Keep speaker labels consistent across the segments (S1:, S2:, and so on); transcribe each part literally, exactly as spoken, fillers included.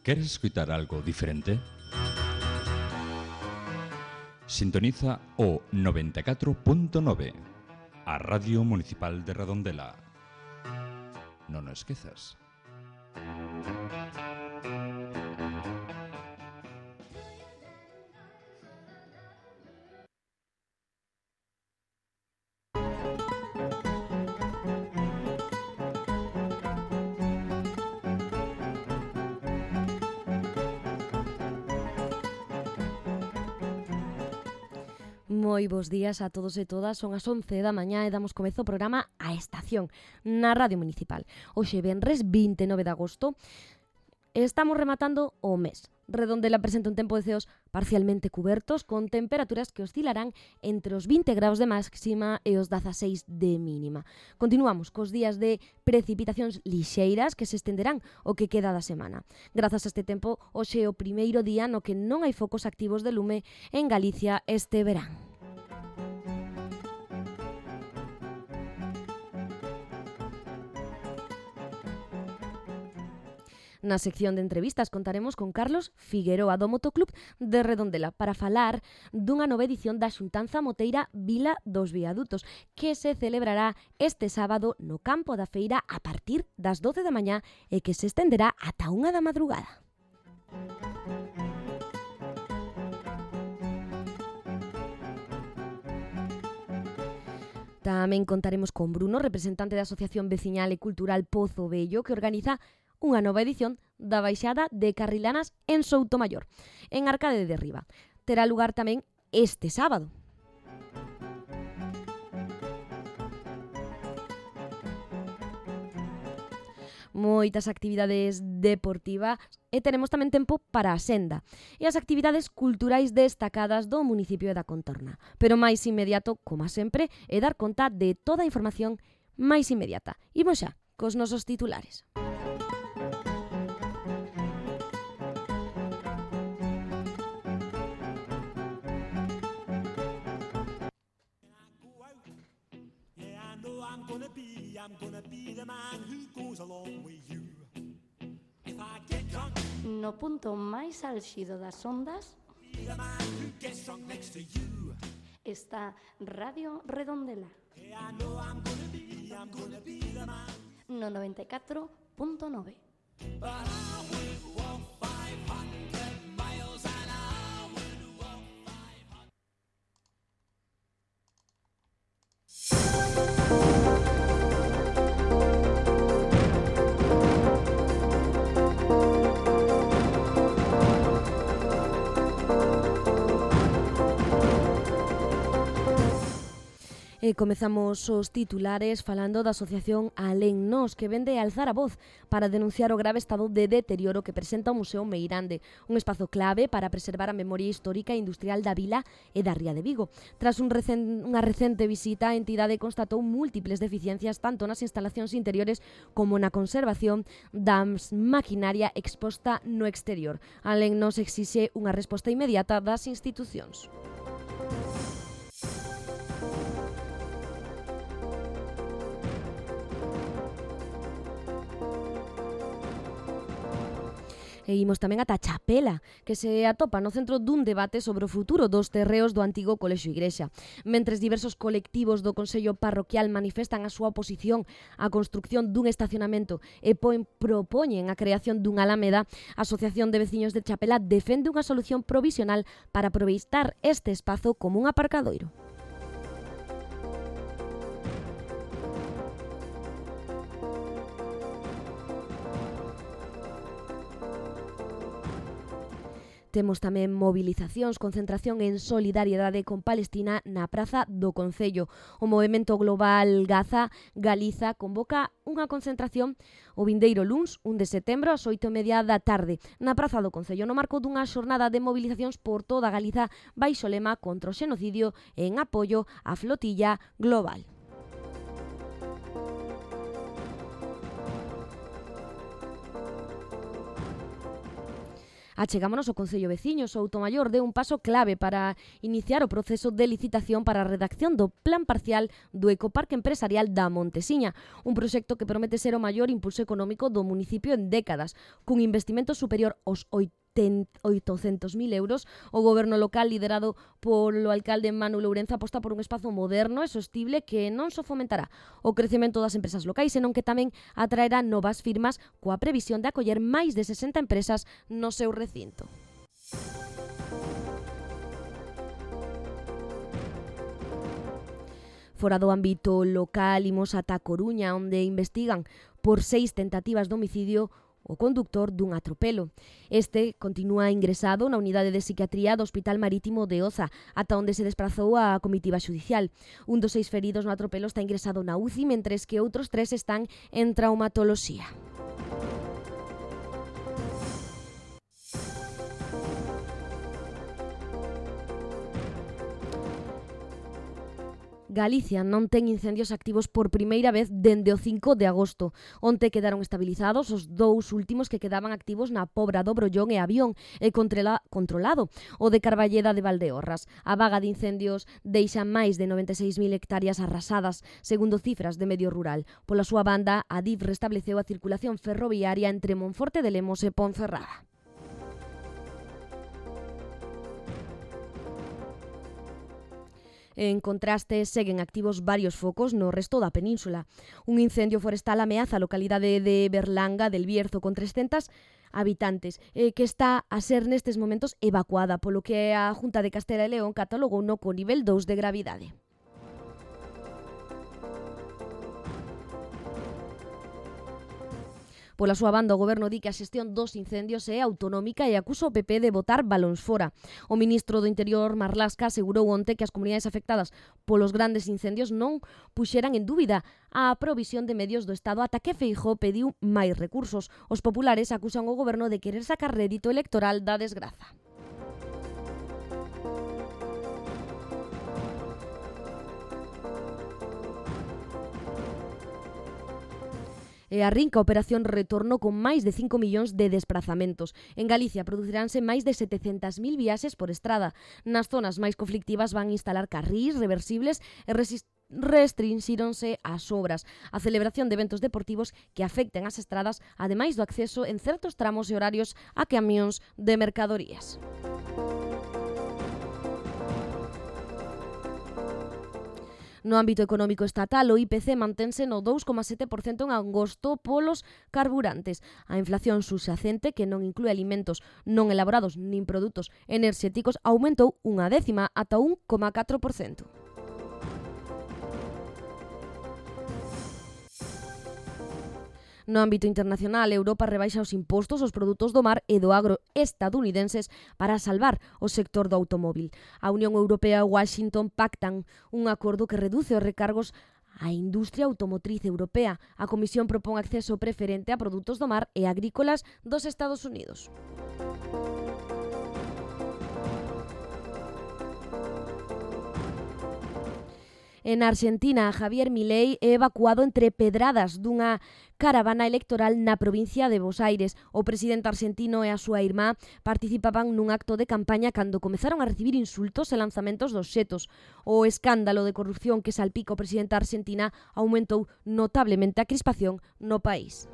S1: ¿Queres escuchar algo diferente? Sintoniza o noventa e catro punto nove, a Radio Municipal de Redondela. Non o esquezas.
S2: Moi bons días a todos e todas, son as once da mañá e damos comezo ao programa A Estación, na Radio Municipal. Hoxe venres vinte e nove de agosto, estamos rematando o mes. Redondela presenta un tempo de ceos parcialmente cubertos, con temperaturas que oscilarán entre os vinte graus de máxima e os dezaseis de mínima. Continuamos cos días de precipitacións lixeiras que se estenderán o que queda da semana. Grazas a este tempo, hoxe é o primeiro día no que non hai focos activos de lume en Galicia este verán. Na sección de entrevistas contaremos con Carlos Figueroa do Motoclub de Redondela para falar dunha nova edición da Xuntanza Moteira Vila dos Viadutos que se celebrará este sábado no campo da feira a partir das doce da mañá e que se estenderá ata unha da madrugada. Tamén contaremos con Bruno, representante da Asociación Veciñal e Cultural Pozo Vello, que organiza unha nova edición da Baixada de Carrilanas en Soutomaior, en Arcade de Riba. Terá lugar tamén este sábado. Moitas actividades deportivas e teremos tamén tempo para a senda e as actividades culturais destacadas do municipio e da contorna. Pero máis inmediato, como sempre, é dar conta de toda a información máis inmediata. Imos xa cos nosos titulares.
S3: No punto máis álxido das ondas está Radio Redondela no noventa e catro punto nove.
S2: E comezamos os titulares falando da asociación Alén Nós, que vende alzar a voz para denunciar o grave estado de deterioro que presenta o Museo Meirande, un espazo clave para preservar a memoria histórica e industrial da vila e da ría de Vigo. Tras un recen, unha recente visita, a entidade constatou múltiples deficiencias tanto nas instalacións interiores como na conservación da maquinaria exposta no exterior. Alén Nós exixe unha resposta inmediata das institucións. E imos tamén ata Chapela, que se atopa no centro dun debate sobre o futuro dos terreos do antigo Colexio Igrexa. Mentres diversos colectivos do Consello Parroquial manifestan a súa oposición á construcción dun estacionamento e poen, propoñen a creación dunha alameda, a Asociación de Veciños de Chapela defende unha solución provisional para aproveitar este espazo como un aparcadoiro. Temos tamén movilizacións, concentración en solidariedade con Palestina na Praza do Concello. O Movemento Global Gaza Galiza convoca unha concentración o vindeiro luns, un de setembro, ás oito e media da tarde, na Praza do Concello, no marco dunha xornada de movilizacións por toda Galiza baixo lema contra o xenocidio e en apoio á flotilla global. Achegámonos ao Concello veciño. Soutomaior deu un paso clave para iniciar o proceso de licitación para a redacción do plan parcial do Ecoparque Empresarial da Montesiña, un proxecto que promete ser o maior impulso económico do municipio en décadas, cun investimento superior aos oitocentos mil euros. O goberno local, liderado polo alcalde Manu Lourenza, aposta por un espazo moderno e sostible que non só fomentará o crecemento das empresas locais, senón que tamén atraerá novas firmas coa previsión de acoller máis de sesenta empresas no seu recinto. Fora do ámbito local, imos ata Coruña, onde investigan por seis tentativas de homicidio o conductor dun atropelo. Este continúa ingresado na unidade de psiquiatría do Hospital Marítimo de Oza, ata onde se desplazou a comitiva xudicial. Un dos seis feridos no atropelo está ingresado na U C I, mentres que outros tres están en traumatoloxía. Galicia non ten incendios activos por primeira vez dende o cinco de agosto. Onte quedaron estabilizados os dous últimos que quedaban activos na Pobra do Brollón e Avión e controlado o de Carballeda de Valdeorras. A vaga de incendios deixa máis de noventa e seis mil hectáreas arrasadas, segundo cifras de Medio Rural. Pola súa banda, a D I F restableceu a circulación ferroviaria entre Monforte de Lemos e Ponferrada. En contraste, seguen activos varios focos no resto da península. Un incendio forestal ameaza a localidade de Berlanga del Bierzo con trescentos habitantes, eh, que está a ser nestes momentos evacuada, polo que a Junta de Castela e León catalogou no co nivel dous de gravidade. Pola súa banda, o goberno di que a xestión dos incendios é autonómica e acusa o P P de botar balóns fora. O ministro do Interior, Marlaska, asegurou onte que as comunidades afectadas polos grandes incendios non puxeran en dúbida a provisión de medios do Estado ata que Feijóo pediu máis recursos. Os populares acusan o goberno de querer sacar rédito electoral da desgraza. E arrinca a Operación Retorno con máis de cinco millóns de desplazamentos. En Galicia produciránse máis de setecentas mil viaxes por estrada. Nas zonas máis conflictivas van instalar carrís reversibles e resist restrinxíronse as obras. A celebración de eventos deportivos que afecten as estradas, ademais do acceso en certos tramos e horarios a camións de mercadorías. No ámbito económico estatal, o I P C mantense no dous coma sete por cento en agosto polos carburantes. A inflación subxacente, que non inclúe alimentos non elaborados nin produtos enerxéticos, aumentou unha décima ata un coma catro por cento. No ámbito internacional, Europa rebaixa os impostos aos produtos do mar e do agro estadounidenses para salvar o sector do automóvil. A Unión Europea e Washington pactan un acordo que reduce os recargos á industria automotriz europea. A Comisión propón acceso preferente a produtos do mar e agrícolas dos Estados Unidos. En Argentina, Javier Milei é evacuado entre pedradas dunha caravana electoral na provincia de Buenos Aires. O presidente argentino e a súa irmá participaban nun acto de campaña cando comezaron a recibir insultos e lanzamentos dos xetos. O escándalo de corrupción que salpica o presidente da Argentina aumentou notablemente a crispación no país.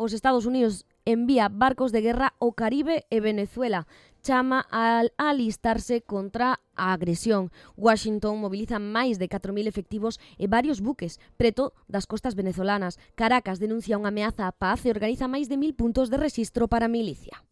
S2: Os Estados Unidos envía barcos de guerra ao Caribe e Venezuela. Chama a alistarse contra a agresión. Washington moviliza máis de catro mil efectivos e varios buques preto das costas venezolanas. Caracas denuncia unha ameaza á paz e organiza máis de mil puntos de rexistro para a milicia.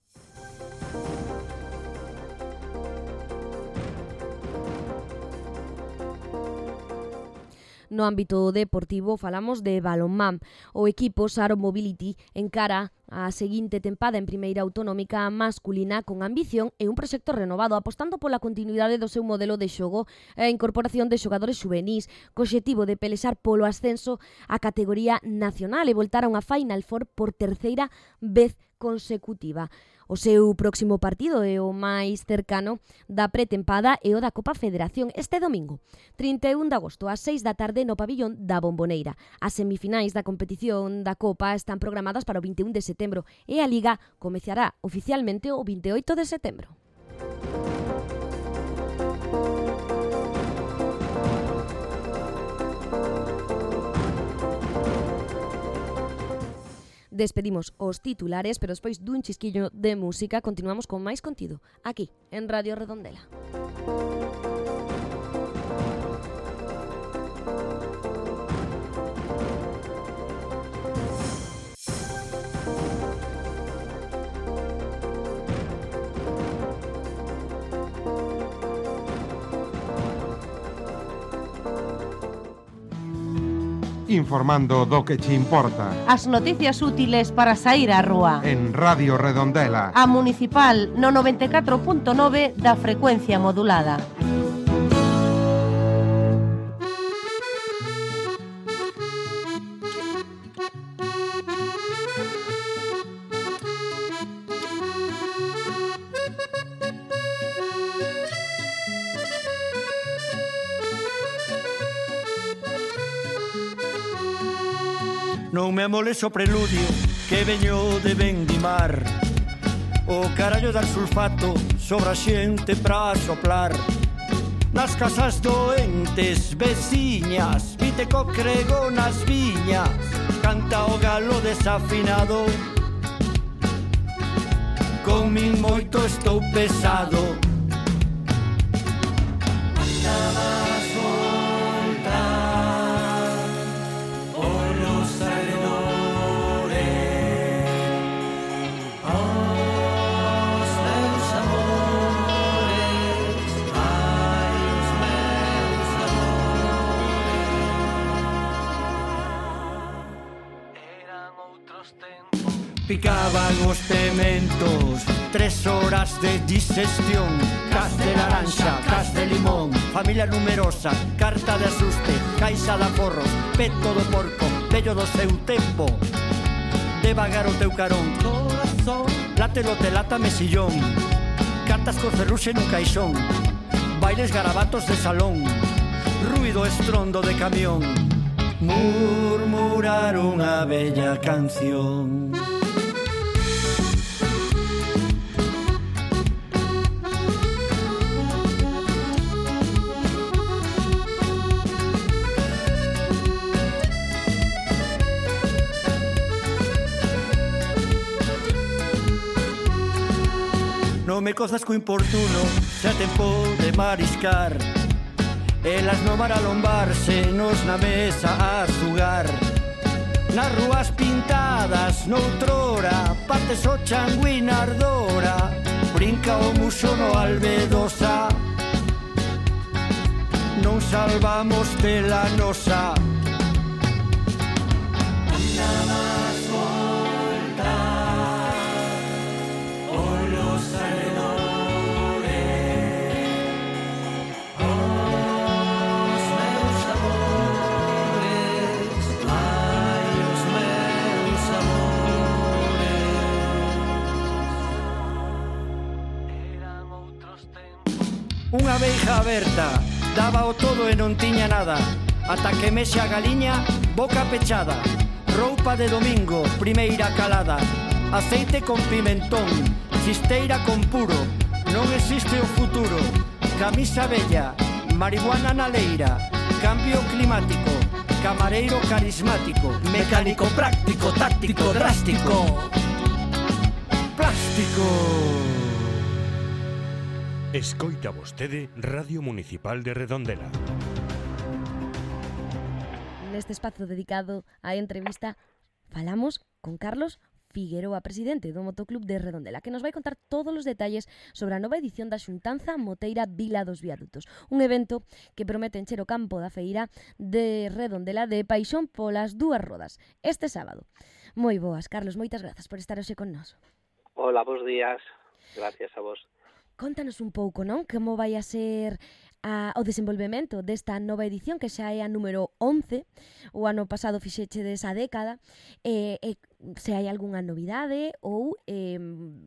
S2: No ámbito deportivo falamos de balonmán. O equipo Saro Mobility encara a seguinte tempada en primeira autonómica masculina con ambición e un proxecto renovado, apostando pola continuidade do seu modelo de xogo e a incorporación de xogadores xuvenís, co obxectivo de pelexar polo ascenso á categoría nacional e voltar a unha Final Four por terceira vez consecutiva. O seu próximo partido é o máis cercano da pretempada e o da Copa Federación este domingo, trinta e un de agosto, ás seis da tarde no pabillón da Bomboneira. As semifinais da competición da Copa están programadas para o vinte e un de setembro e a Liga comezará oficialmente o vinte e oito de setembro. Despedimos os titulares, pero despois dun chisquillo de música continuamos con máis contido, aquí, en Radio Redondela.
S4: Informando do que che importa.
S5: As noticias útiles para saír á rúa.
S4: En Radio Redondela.
S5: A Municipal no noventa e catro punto nove da frecuencia modulada.
S6: Non me amoles o preludio que veño de Vendimar. O carallo dar sulfato sobra xente pra soplar. Nas casas doentes, veciñas, vite co crego nas viñas. Canta o galo desafinado. Con min moito estou pesado. Picaban os pementos, tres horas de digestión. Cas de laranxa, cas de limón, familia numerosa, carta de asuste, caixa de aforros, peto do porco, vello do seu tempo. Devagar o teu carón, late lote lata mesillón, cartas con ferruxe nun caixón, bailes garabatos de salón, ruido estrondo de camión, murmurar unha bella canción. Non me cozas co importuno, xa tempo de mariscar. Elas no mar a lombarse, nos na mesa a xugar. Nas rúas pintadas, noutrora, pates o changui na ardora. Brinca o muxo no albedosa. Non salvamos de la nosa. Unha veiga aberta, daba o todo e non tiña nada. Ata que mexe a galiña, boca pechada. Roupa de domingo, primeira calada. Aceite con pimentón, chisteira con puro. Non existe o futuro. Camisa bella, marihuana na leira. Cambio climático, camareiro carismático. Mecánico práctico, táctico, drástico. Plástico.
S7: Escoita vostede Radio Municipal de Redondela.
S2: Neste espazo dedicado á entrevista falamos con Carlos Figueroa, presidente do Motoclub de Redondela, que nos vai contar todos os detalles sobre a nova edición da Xuntanza Moteira Vila dos Viadutos, un evento que promete encher o campo da feira de Redondela de paixón polas dúas rodas este sábado. Moi boas, Carlos, moitas grazas por estar hoxe con nós.
S8: Hola, bons días. Gracias a vos.
S2: Contanos un pouco, non? Como vai a ser a, o desenvolvemento desta nova edición, que xa é a número once, o ano pasado fixeche desa década, e, e se hai algunha novidade ou eh,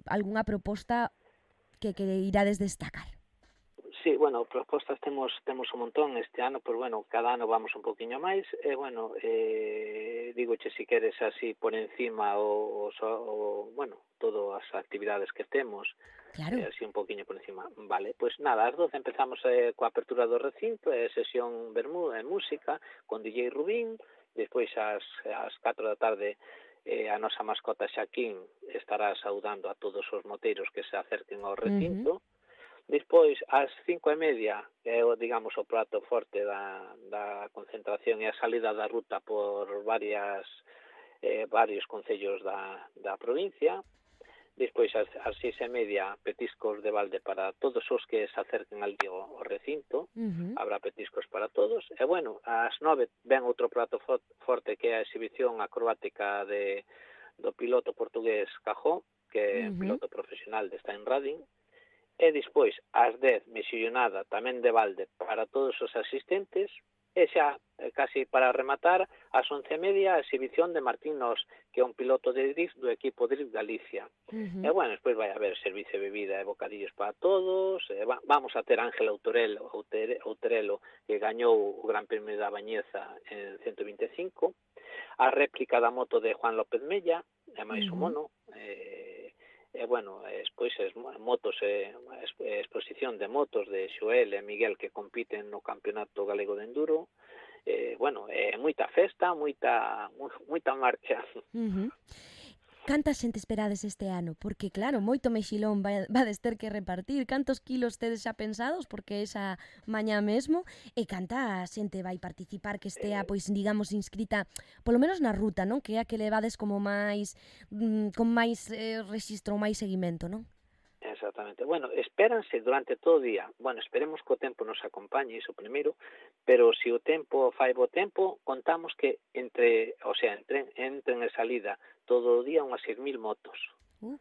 S2: algunha proposta que, que irades destacar.
S8: Sí, bueno, propostas temos temos un montón este ano, pero bueno, cada ano vamos un poquinho máis, e bueno, eh, digoche si queres así por encima o, o, o bueno, todas as actividades que temos,
S2: claro.
S8: eh, así un poquinho por encima. Vale, pois pues nada, ás doce empezamos eh, coa apertura do recinto, eh, sesión Bermú e música con D J Rubín, despois ás, ás catro da tarde eh, a nosa mascota Xaquín estará saudando a todos os moteiros que se acerquen ao recinto. Uh-huh. Despois, ás cinco e media, que é, digamos, o prato forte da, da concentración e a salida da ruta por varias eh, varios concellos da, da provincia. Despois, ás, ás seis e media, petiscos de balde para todos os que se acerquen al día ao recinto. Uh-huh. Habrá petiscos para todos. E, bueno, ás nove ven outro prato forte que é a exhibición acrobática de, do piloto portugués Cajó, que é uh-huh. piloto profesional de Steinrading. E despois, ás dez, mexillonada tamén de balde para todos os asistentes, e xa, casi para rematar, ás once e media, a exhibición de Martín Nos, que é un piloto de drift do equipo Drift Galicia. Uh-huh. E, bueno, despois vai haber servicio de bebida e bocadillos para todos, e va, vamos a ter Ángel Outorelo, Outorelo, que gañou o Gran Premio da Bañeza en ciento vinte e cinco, a réplica da moto de Juan López Mella, e máis uh-huh. o mono, e... E, bueno, despois es motos, eh, exposición de motos de Xoel e Miguel que compiten no Campeonato Galego de Enduro. Eh, bueno, eh, moita festa, moita, moita marcha.
S2: Uh-huh. Canta xente esperades este ano? Porque, claro, moito mexilón vades ter que repartir. Cantos kilos tedes xa pensados? Porque esa mañá mesmo. E canta xente vai participar que estea, pois, digamos, inscrita, polo menos na ruta, non? Que é a que levades como máis, mmm, con máis eh, registro, máis seguimento, non?
S8: Exactamente. Bueno, espéranse durante todo o día. Bueno, esperemos que o tempo nos acompañe, iso primeiro, pero se o tempo fai bo tempo, contamos que entre, o sea, entren, entren e salida todo o día unhas seis mil motos. Uh.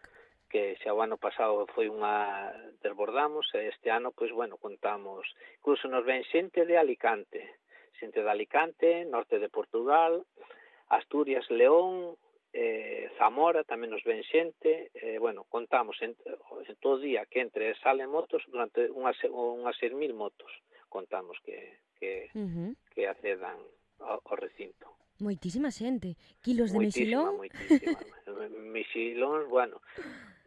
S8: Que xa o ano pasado foi unha desbordamos, e este ano, pois, bueno, contamos, incluso nos ven xente de Alicante, xente de Alicante, norte de Portugal, Asturias, León, eh, Zamora, tamén nos ven xente, eh, bueno, contamos en, en todo o día que entre e salen motos durante unhas, unhas seis mil motos, contamos que, que, uh-huh. que accedan ao, ao recinto.
S2: Moitísima xente. Kilos de
S8: moitísima,
S2: mexilón?
S8: Moitísima, mexilón, bueno,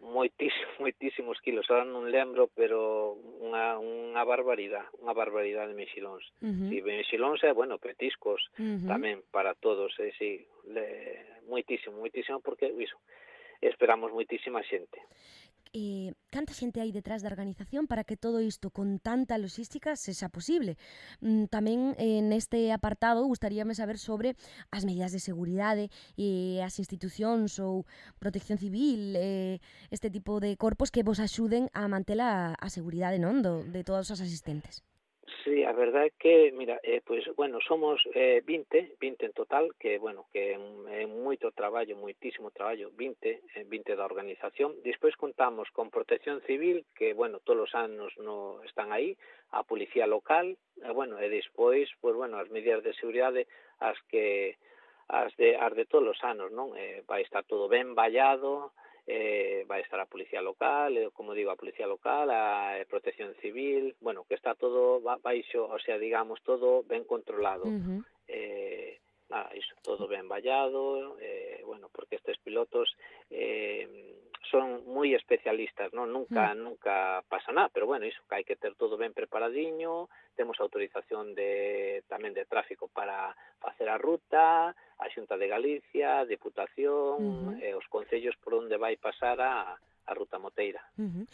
S8: moitísimos, moitísimos kilos, ahora non lembro, pero unha, unha barbaridade, unha barbaridade de mexilóns. Uh-huh. E mexilóns é, bueno, petiscos uh-huh. tamén para todos, é, sí, le, moitísimo, moitísimo, porque, iso, esperamos moitísima xente.
S2: Eh, canta xente hai detrás da organización para que todo isto con tanta logística sexa posible. Mm, tamén eh, neste apartado gustaríame saber sobre as medidas de seguridade e eh, as institucións ou protección civil, eh, este tipo de corpos que vos axuden a manter a, a seguridade, non, do, de todos os asistentes.
S8: Sí, a verdade é que, mira, eh, pois, bueno, somos eh, vinte, vinte en total, que, bueno, que é moito traballo, moitísimo traballo, vinte, eh, vinte da organización. Despois contamos con Protección Civil, que, bueno, todos os anos no están aí, a Policía Local, e, bueno, e despois, pois, bueno, as medidas de seguridade, as que, as de, as de todos os anos, non? Eh, vai estar todo ben vallado, Eh, vai estar a Policía Local, eh, como digo, a Policía Local, a eh, Protección Civil, bueno, que está todo baixo, o sea, digamos, todo ben controlado. Uh-huh. Eh, nada, iso, todo ben vallado, eh, bueno, porque estes pilotos eh, son moi especialistas, non? Nunca, uh-huh. nunca pasa nada, pero bueno, iso, que hai que ter todo ben preparadiño, temos autorización de tamén de tráfico para facer a ruta, a Xunta de Galicia, a Diputación, uh-huh. e os concellos por onde vai pasar a, a ruta moteira.
S2: Uh-huh.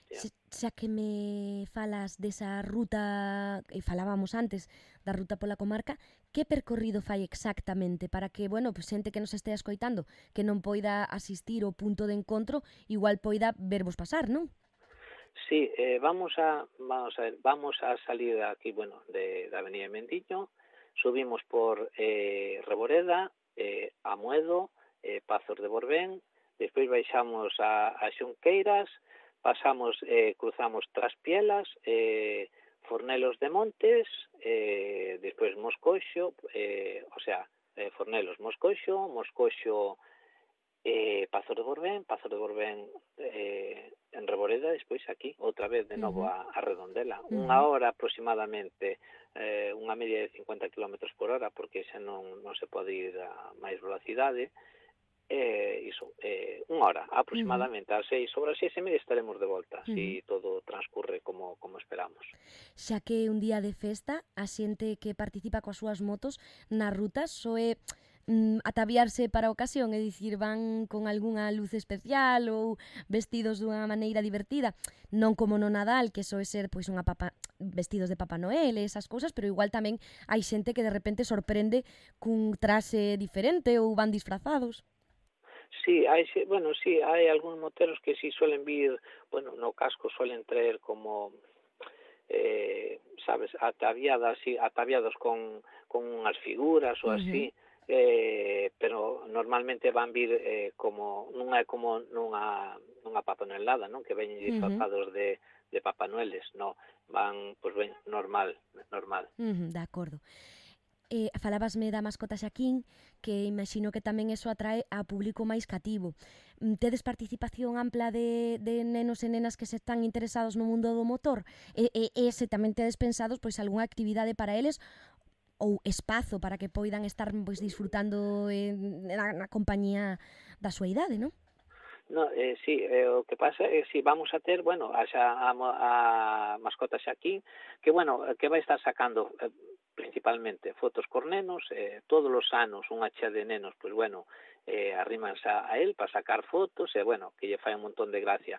S2: Se, xa que me falas desa ruta, e falábamos antes da ruta pola comarca, que percorrido fai exactamente para que, bueno, pues, xente que nos estea escoitando, que non poida asistir ao punto de encontro, igual poida vervos pasar, non?
S8: Sí, eh, vamos a vamos a ver, vamos a salir aquí, bueno, de da Avenida Mendiño, subimos por eh, Reboreda, eh, Amuedo, eh, Pazos de Borbén, despois baixamos a, a Xunqueiras, pasamos, eh, cruzamos Traspielas, eh, Fornelos de Montes, eh, despois Moscoxo, eh, o sea, eh, Fornelos, Moscoxo, Moscoxo, eh, Pazo de Borbén, Pazo de Borbén eh, en Reboreda, despois aquí, outra vez de novo
S2: Uh-huh.
S8: a, a Redondela.
S2: Uh-huh.
S8: Unha hora aproximadamente, eh, unha media de cincuenta kilómetros por hora, porque xa non, non se pode ir a máis velocidade, eh, iso, eh, unha hora aproximadamente, uh-huh. ás seis, sobre as seis e media estaremos de volta, uh-huh. si todo transcurre como, como esperamos.
S2: Xa que un día de festa, a xente que participa coas súas motos nas rutas soe mm, ataviarse para a ocasión, é dicir, van con algunha luz especial ou vestidos dunha maneira divertida, non como no Nadal, que soe ser pois unha papa, vestidos de Papá Noel e esas cousas, pero igual tamén hai xente que de repente sorprende cun traxe diferente ou van disfrazados.
S8: Sí, hai, bueno, sí, hai algúns moteros que sí suelen vir, bueno, no casco suelen traer como, eh, sabes, ataviadas, sí, ataviados con, con unhas figuras ou así, uh-huh. eh, pero normalmente van vir eh, como, non é como nunha, nunha papanelada, non? Que veñen disfrazados uh-huh. de, de Papá Noeles, non, van, pois ben, normal, normal.
S2: Uh-huh, de acordo. Eh, falabasme da mascota Xaquín, que imagino que tamén eso atrae a público máis cativo. Tedes participación ampla de, de nenos e nenas que se están interesados no mundo do motor? E, e, e se tamén tedes pensados pois algunha actividade para eles ou espazo para que poidan estar pois disfrutando en, na, na compañía da súa idade, non?
S8: No, eh, sí, eh, o que pasa é que si vamos a ter, bueno, a, a, a mascota Xaquín, que, bueno, que vai estar sacando eh, principalmente fotos cor nenos, eh, todos os anos unha chea de nenos, pois, bueno, eh, arrímanse a él para sacar fotos, e, bueno, que lle fai un montón de gracia.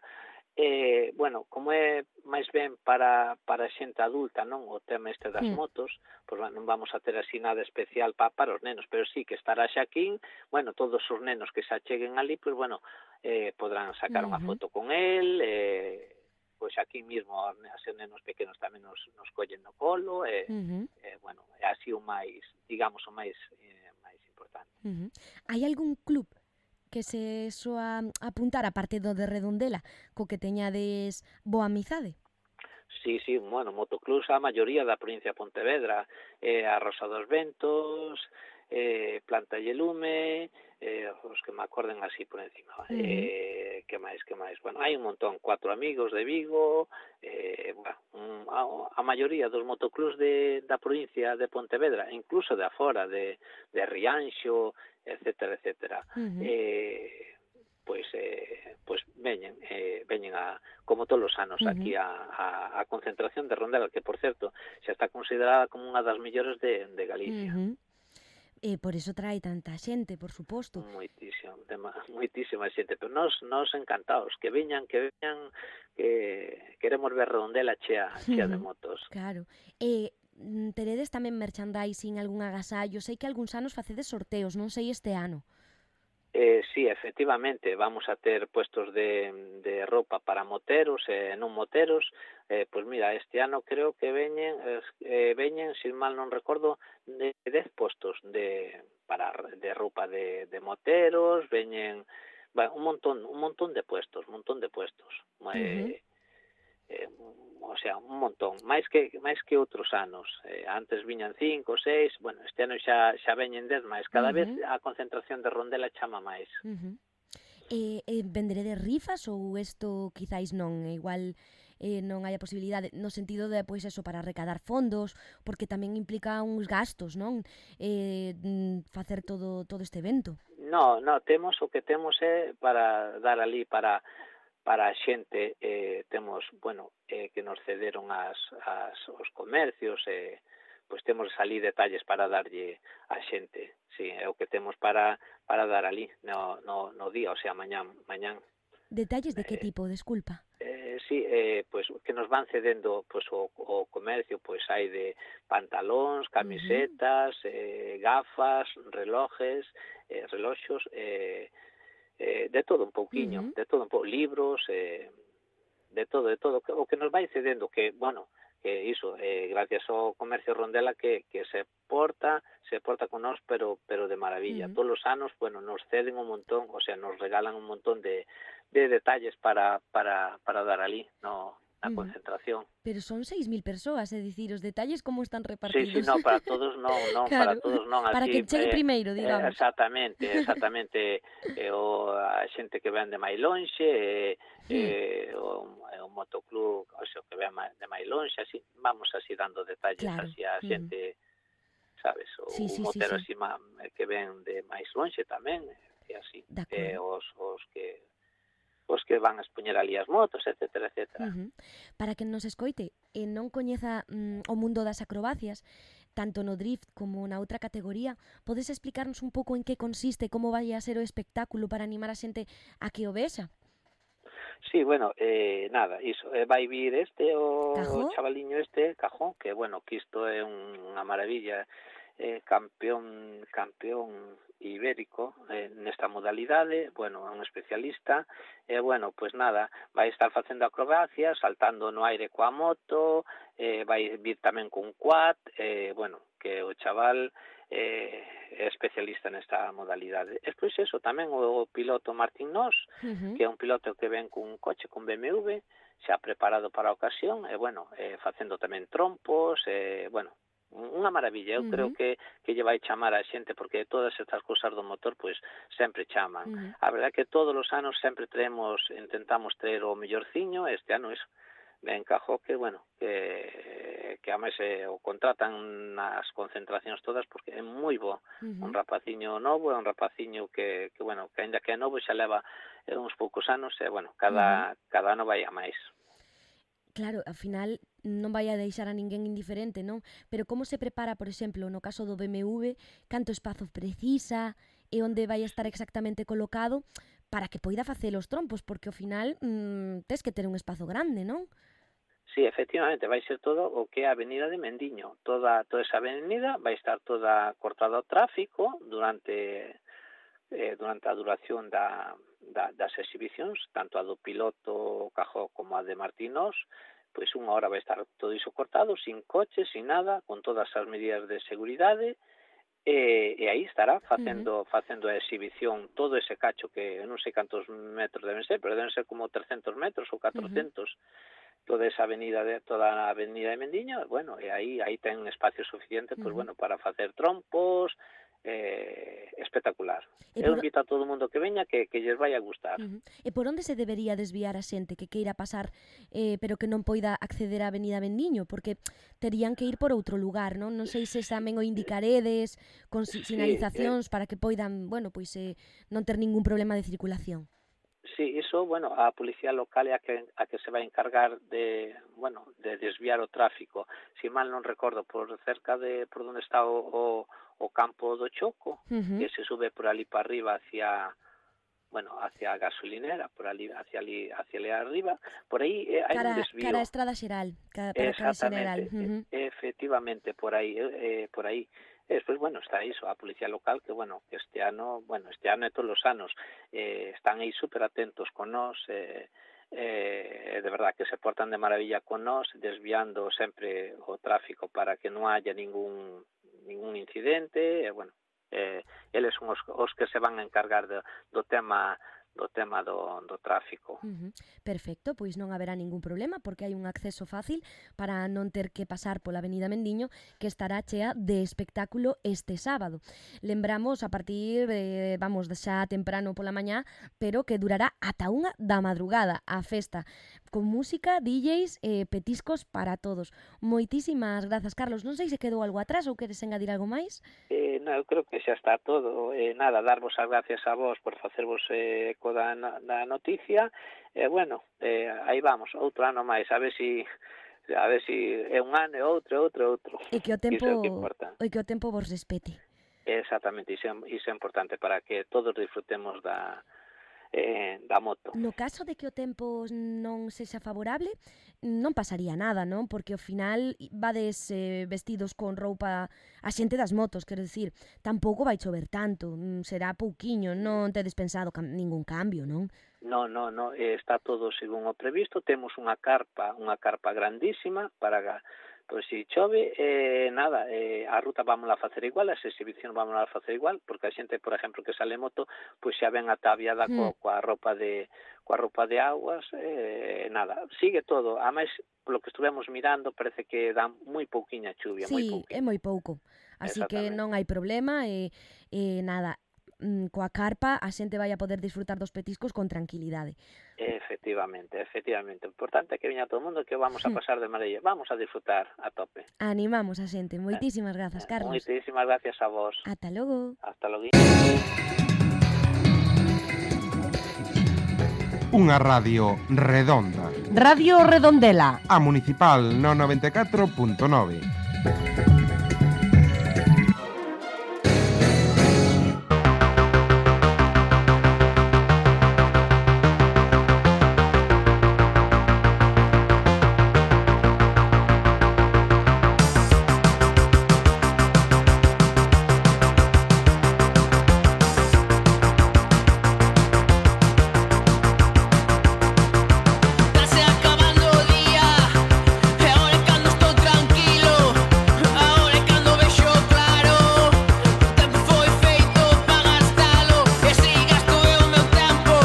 S8: Eh, bueno, como é máis ben para, para xente adulta, non, o tema este das motos, pois, bueno, non vamos a ter así nada especial pa, para os nenos, pero sí que estará Xaquín, bueno, todos os nenos que se acheguen ali, pois, bueno, eh, podrán sacar uh-huh. unha foto con él, eh, pois aquí mismo as nenos pequenos tamén nos, nos collen no colo, e, uh-huh. eh, bueno, é así o máis, digamos, o máis, eh, máis importante.
S2: Uh-huh. Hai algún club que se soa apuntar a parte do de Redondela, co que teñades boa amizade?
S8: Sí, sí, bueno, motoclubs a maioría da provincia de Pontevedra, eh, a Rosa dos Ventos, eh, Planta e Lume, eh, os que me acorden así por encima. Uh-huh. Eh, que máis, que máis? Bueno, hai un montón, Cuatro Amigos de Vigo, eh, bueno, un, a, a maioría dos motoclubs de, da provincia de Pontevedra, incluso de afora, de, de Rianxo, etcétera, etcétera. Uh-huh. Eh, pois eh, pois veñen eh, veñen a como todos os anos uh-huh. aquí a, a, a concentración de Rondela, que por certo xa está considerada como unha das mellores de, de Galicia.
S2: Uh-huh. E por eso trae tanta xente, por suposto.
S8: Moitísima, moitísima xente, pero nós nos encantados que veñan, que veñan, que queremos ver Redondela chea, chea uh-huh. de motos.
S2: Claro. E teredes tamén merchandising, algún agasallo? Sei que algúns anos facedes sorteos, non sei este ano.
S8: Eh, sí, efectivamente, vamos a ter puestos de, de roupa para moteros e eh, non moteros. Eh, pois mira, este ano creo que veñen, eh, veñen, sin mal non recordo, de dez postos de para de roupa de, de moteros, veñen, bueno, un montón, un montón de puestos, un montón de puestos. Uh-huh. Eh, eh, o sea, un montón, máis que máis que outros anos. Eh, antes viñan cinco, seis, bueno, este ano xa xa veñen dez máis. Cada uh-huh. vez a concentración de Rondela chama máis.
S2: Uh-huh. Eh, eh, venderede rifas ou isto quizáis non? Igual eh, non hai a posibilidade, no sentido de, pois, eso, para recadar fondos, porque tamén implica uns gastos, non? Eh, facer todo todo este evento.
S8: No, no, temos o que temos é para dar ali para para a xente, eh, temos, bueno, eh, que nos cederon as, as, os comercios, eh, pois temos ali detalles para darlle a xente, sí, é o que temos para para dar ali no, no, no día, o sea, mañán, mañán.
S2: Detalles de que eh, tipo, desculpa?
S8: Eh, sí, eh, pois que nos van cedendo pois, o, o comercio, pois hai de pantalóns, camisetas, uh-huh. eh, gafas, relojes, eh, reloxos, eh, Eh, de todo un pouquiño, uh-huh. de todo un pouco, libros, eh, de todo, de todo, o que nos vai cedendo, que, bueno, que iso, eh, gracias ao comercio Rondela que, que se porta, se porta con nós, pero pero de maravilla. Uh-huh. Todos os anos, bueno, nos ceden un montón, o sea, nos regalan un montón de, de detalles para para para dar ali, no na
S2: Ujú.
S8: concentración.
S2: Pero son seis mil persoas, é dicir, os detalles como están
S8: Sí,
S2: repartidos.
S8: sí, non, para todos non, non, para
S2: Claro,
S8: todos non,
S2: para
S8: así,
S2: que chegue
S8: eh,
S2: primeiro,
S8: eh,
S2: digamos.
S8: exactamente, exactamente, eh, o, a xente que ven de máis lonxe, eh, eh, o, eh, o motoclub, o sea, que ven ma- de máis lonxe, así, vamos así dando detalles
S2: Claro,
S8: así a
S2: ujú.
S8: xente, sabes, o,
S2: Sí,
S8: o
S2: sí, sí,
S8: motero
S2: sí.
S8: así ma, que ven de máis lonxe tamén, e así,
S2: De
S8: eh,
S2: acordo.
S8: os, os que os que van a expoñer ali as motos, etcétera, etcétera.
S2: Ujú. Para quen nos escoite e non coñeza mm, o mundo das acrobacias, tanto no drift como na outra categoría, podes explicarnos un pouco en que consiste, como vai a ser o espectáculo para animar a xente a que o vexa?
S8: Sí, bueno, eh, nada, iso, eh, vai vir este, o,
S2: Cajó?
S8: o chavaliño este, Cajón, que, bueno, que isto é un, unha maravilla, eh, campeón campeón ibérico eh, nesta modalidade, bueno, é un especialista, e, eh, bueno, pois pues nada, vai estar facendo acrobacias, saltando no aire coa moto, eh, vai vir tamén cun quad, eh, bueno, que o chaval eh, é especialista nesta modalidade. E pois eso, tamén o, o piloto Martín Nos,
S2: Ujú.
S8: que é un piloto que ven cun coche con B M W, xa preparado para a ocasión, e, bueno, eh, facendo tamén trompos, e, bueno, unha maravilla. Eu
S2: Ujú.
S8: creo que que lle vai chamar a xente, porque todas estas cousas do motor pois sempre chaman.
S2: Ujú.
S8: A verdade é que todos os anos sempre traemos, intentamos traer o mellorciño, este ano iso me encajou que, bueno, que que ademais eh, o contratan nas concentracións todas porque é moi bo.
S2: Ujú.
S8: Un rapaciño novo, é un rapaciño que, que bueno, que aínda que é novo xa leva eh, uns poucos anos e, bueno, cada, cada ano vai a máis.
S2: Claro, ao final non vai a deixar a ninguén indiferente, non? Pero como se prepara, por exemplo, no caso do B M W, canto espazo precisa e onde vai estar exactamente colocado para que poida facer os trompos, porque ao final mmm, tes que ter un espazo grande, non?
S8: Sí, efectivamente, vai ser todo o que é a avenida de Mendiño. Toda, toda esa avenida vai estar toda cortada ao tráfico durante eh, durante a duración da, da, das exhibicións, tanto a do piloto Cajó como a de Martínós, pois unha hora vai estar todo iso cortado, sin coches, sin nada, con todas as medidas de seguridade, e, e aí estará facendo, uh-huh. facendo a exhibición todo ese cacho que non sei cantos metros deben ser, pero deben ser como trescentos metros ou catrocentos, uh-huh. toda esa avenida de toda a avenida de Mendiño, bueno, e aí aí ten espacio suficiente, pois uh-huh. bueno, para facer trompos, eh, espectacular. E Eu por... invito a todo o mundo que veña que, que lles vai a gustar.
S2: Uh-huh. E por onde se debería desviar a xente que queira pasar eh, pero que non poida acceder á avenida Bendiño? Porque terían que ir por outro lugar, non? Non sei se tamén o indicaredes con sinalizacións sí, eh... para que poidan, bueno, pois eh, non ter ningún problema de circulación.
S8: Sí, iso, bueno, a policía local é a que, a que se vai encargar de, bueno, de desviar o tráfico. Si mal non recordo, por cerca de por onde está o, o, o campo do Choco, uh-huh. que se sube por ali para arriba hacia, bueno, hacia a gasolinera, por ali, hacia ali, hacia ali arriba, por aí eh, hai
S2: cara,
S8: un desvío.
S2: Cara a Estrada Xeral, cara, para Estrada Xeral.
S8: Uh-huh. Efectivamente, por aí, eh, por aí. E despois, bueno, está iso, a policía local, que, bueno, que este ano, bueno, este ano e todos os anos eh, están aí super atentos con nós, eh, eh, de verdad que se portan de maravilla con nós, desviando sempre o tráfico para que non haya ningún ningún incidente, e, bueno, eh, eles son os, os que se van a encargar de, do tema do tema do, do tráfico.
S2: Uh-huh. Perfecto, pois non haberá ningún problema porque hai un acceso fácil para non ter que pasar pola avenida Mendiño, que estará chea de espectáculo este sábado. Lembramos a partir de, vamos, de xa temprano pola mañá, pero que durará ata unha da madrugada a festa, con música, D Js e eh, petiscos para todos. Moitísimas grazas, Carlos. Non sei se quedou algo atrás ou queres engadir algo máis?
S8: Eh, non, eu creo que xa está todo. Eh, nada, darvos as gracias a vos por facervos eh, eco da, da noticia. E, eh, bueno, eh, aí vamos, outro ano máis, a ver si a ver si é un ano e outro, outro, outro.
S2: E que o tempo,
S8: iso é o que importa.
S2: E que o tempo vos respete.
S8: Exactamente, iso, iso é importante para que todos disfrutemos da eh, da moto.
S2: No caso de que o tempo non sexa favorable, non pasaría nada, non? Porque ao final vades eh, vestidos con roupa a xente das motos, quero dicir, tampouco vai chover tanto, será pouquiño, non tedes pensado cam- ningún cambio, non?
S8: No, no, no, está todo según o previsto, temos unha carpa, unha carpa grandísima para Pois se chove, eh, nada, eh, a ruta vámonos a facer igual, as exhibicións vámonos a facer igual, porque a xente, por exemplo, que sale moto, pois xa ven ataviada co,
S2: Mm.
S8: coa roupa de coa roupa de aguas, eh, nada, sigue todo. A máis, polo que estuvemos mirando, parece que dá moi pouquiña chuvia, moi
S2: Sí,
S8: pouquiña.
S2: é moi pouco. Así que
S8: Exactamente.
S2: non hai problema e, e nada, mm, coa carpa a xente vai a poder disfrutar dos petiscos con tranquilidade.
S8: Efectivamente, efectivamente. O importante é que viña todo o mundo, que vamos a
S2: Hmm.
S8: pasar de maravilla. Vamos a disfrutar a tope.
S2: Animamos a xente. Moitísimas grazas, Carlos.
S8: Moitísimas gracias a vos.
S2: Ata logo.
S8: Hasta logo.
S4: Unha radio redonda.
S5: Radio Redondela.
S4: A Municipal no noventa e catro punto nove.
S9: Estase acabando o día, e agora é cando estou tranquilo. Agora é cando vexo claro. O tempo foi feito para gastalo, e así gasto eu o meu tempo,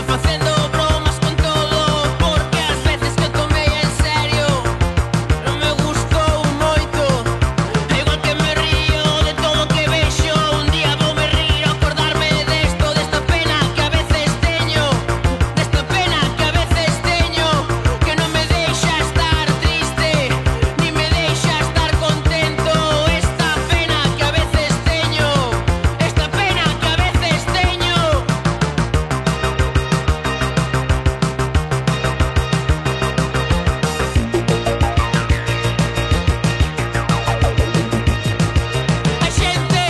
S9: facendo bromas con todo, porque as veces que tomei en serio non me gustou moito. É igual que me río de todo o que vexo. Un día vou me rir ao acordarme desto, desta pena que a veces teño, desta pena que a veces teño, que non me deixa estar triste, ni me deixa estar contento. Esta pena que a veces teño, esta pena que a veces teño. Hai xente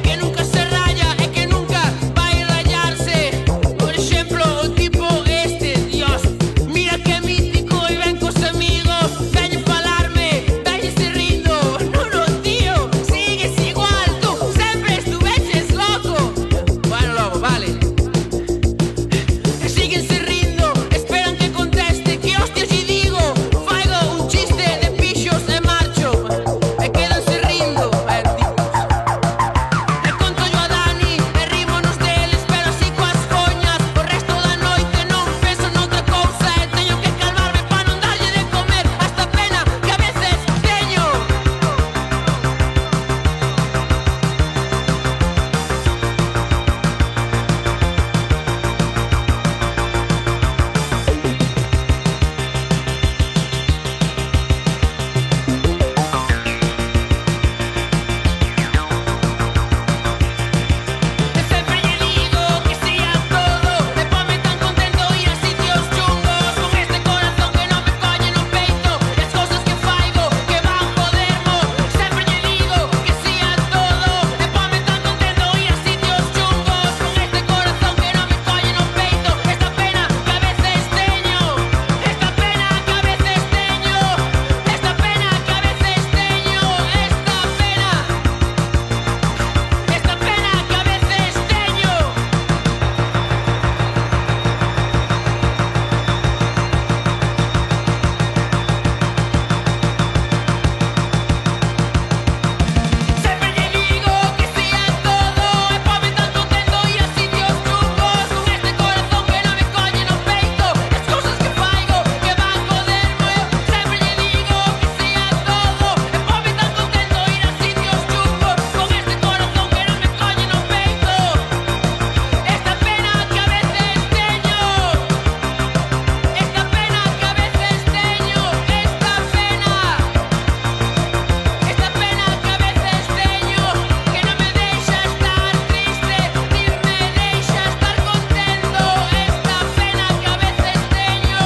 S9: que nunca se raya e que nunca vai rayarse. Por exemplo, o tipo este, Dios, mira que mítico e ven cos amigos, veñen falarme, veñen se rindo. Non, non, tío, sigues igual, tú sempre estuveches loco. Bueno, logo, vale. E siguen se rindo, esperan que conteste, que hostias lle digo. Faigo un chiste de pixos e marcho, e quedanse rindo. Eh, tipos. E conto yo a Dani, e rímonos deles, pero así coas coñas. O resto da noite non penso noutra cousa, e teño que calmarme pa non darlle de comer a esta pena que a veces teño. E sempre lle digo que si a todo, e ponme tan contento ir a sitios chungos, con este corazón que non me colle no peito, e as cousas que faigo que van jodermo. Sempre lle digo que si a todo, e ponme tan contento ir a sitios chungos, con este corazón que non me colle no peito. Esta pena que a veces teño, esta pena que a veces teño, esta pena que a veces teño, esta pena, esta pena que a veces teño. Sempre lle digo que si a todo, e ponme tan contento ir a sitios chungos, con este corazón que non me colle no peito, as cousas que faigo que van jodermo. Sempre lle digo que si a todo, e ponme tan contento ir a sitios chungos, con este corazón que non me colle no peito. Esta pena que a veces teño, esta pena que a veces teño, esta pena, esta pena que a veces teño, que non me deixa estar triste, ni me deixa estar contento. Esta pena que a veces teño,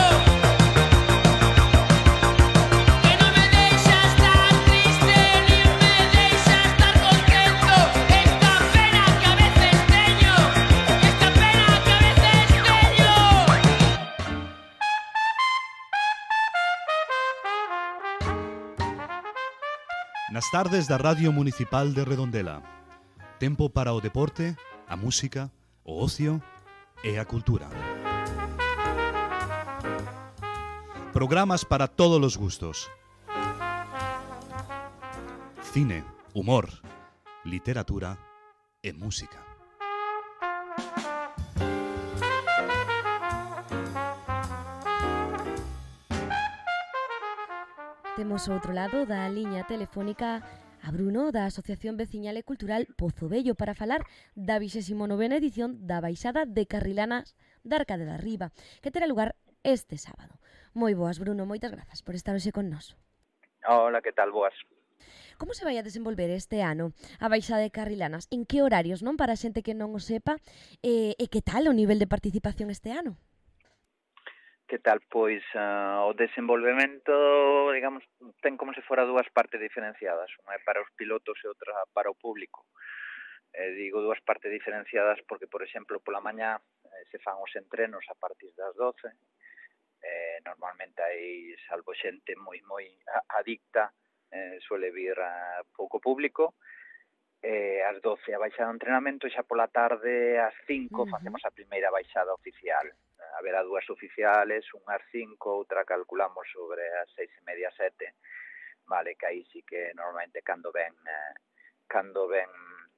S9: que non me deixa estar triste, ni me deixa estar contento. Esta pena que a veces teño, esta pena que a veces teño.
S10: Nas tardes da Radio Municipal de Redondela. Tempo para o deporte, a música, o ocio e a cultura. Programas para todos os gustos. cine, humor, literatura e música.
S2: Temos ao outro lado da liña telefónica a Bruno da Asociación Veciñal e Cultural Pozo Vello para falar da vixésima novena edición da Baixada de Carrilanas da Arcade da Riba, que terá lugar este sábado. Moi boas, Bruno, moitas grazas por estar hoxe con nós.
S11: Hola, que tal? Boas.
S2: Como se vai a desenvolver este ano a Baixada de Carrilanas? En que horarios, non? Para a xente que non o sepa, e, e que tal o nivel de participación este ano?
S11: Que tal? Pois uh, o desenvolvemento, digamos, ten como se fora dúas partes diferenciadas. Unha é para os pilotos e outra para o público. Eh, digo dúas partes diferenciadas porque, por exemplo, pola mañá eh, se fan os entrenos a partir das doce. Eh, normalmente hai, salvo xente moi moi adicta, eh, suele vir a pouco público. Eh, ás doce a baixada do entrenamento e xa pola tarde ás cinco uh-huh. facemos a primeira baixada oficial. Haberá dúas oficiales, unha ás cinco, outra calculamos sobre as seis e media, sete. Vale, que aí sí que normalmente cando ven eh, cando ven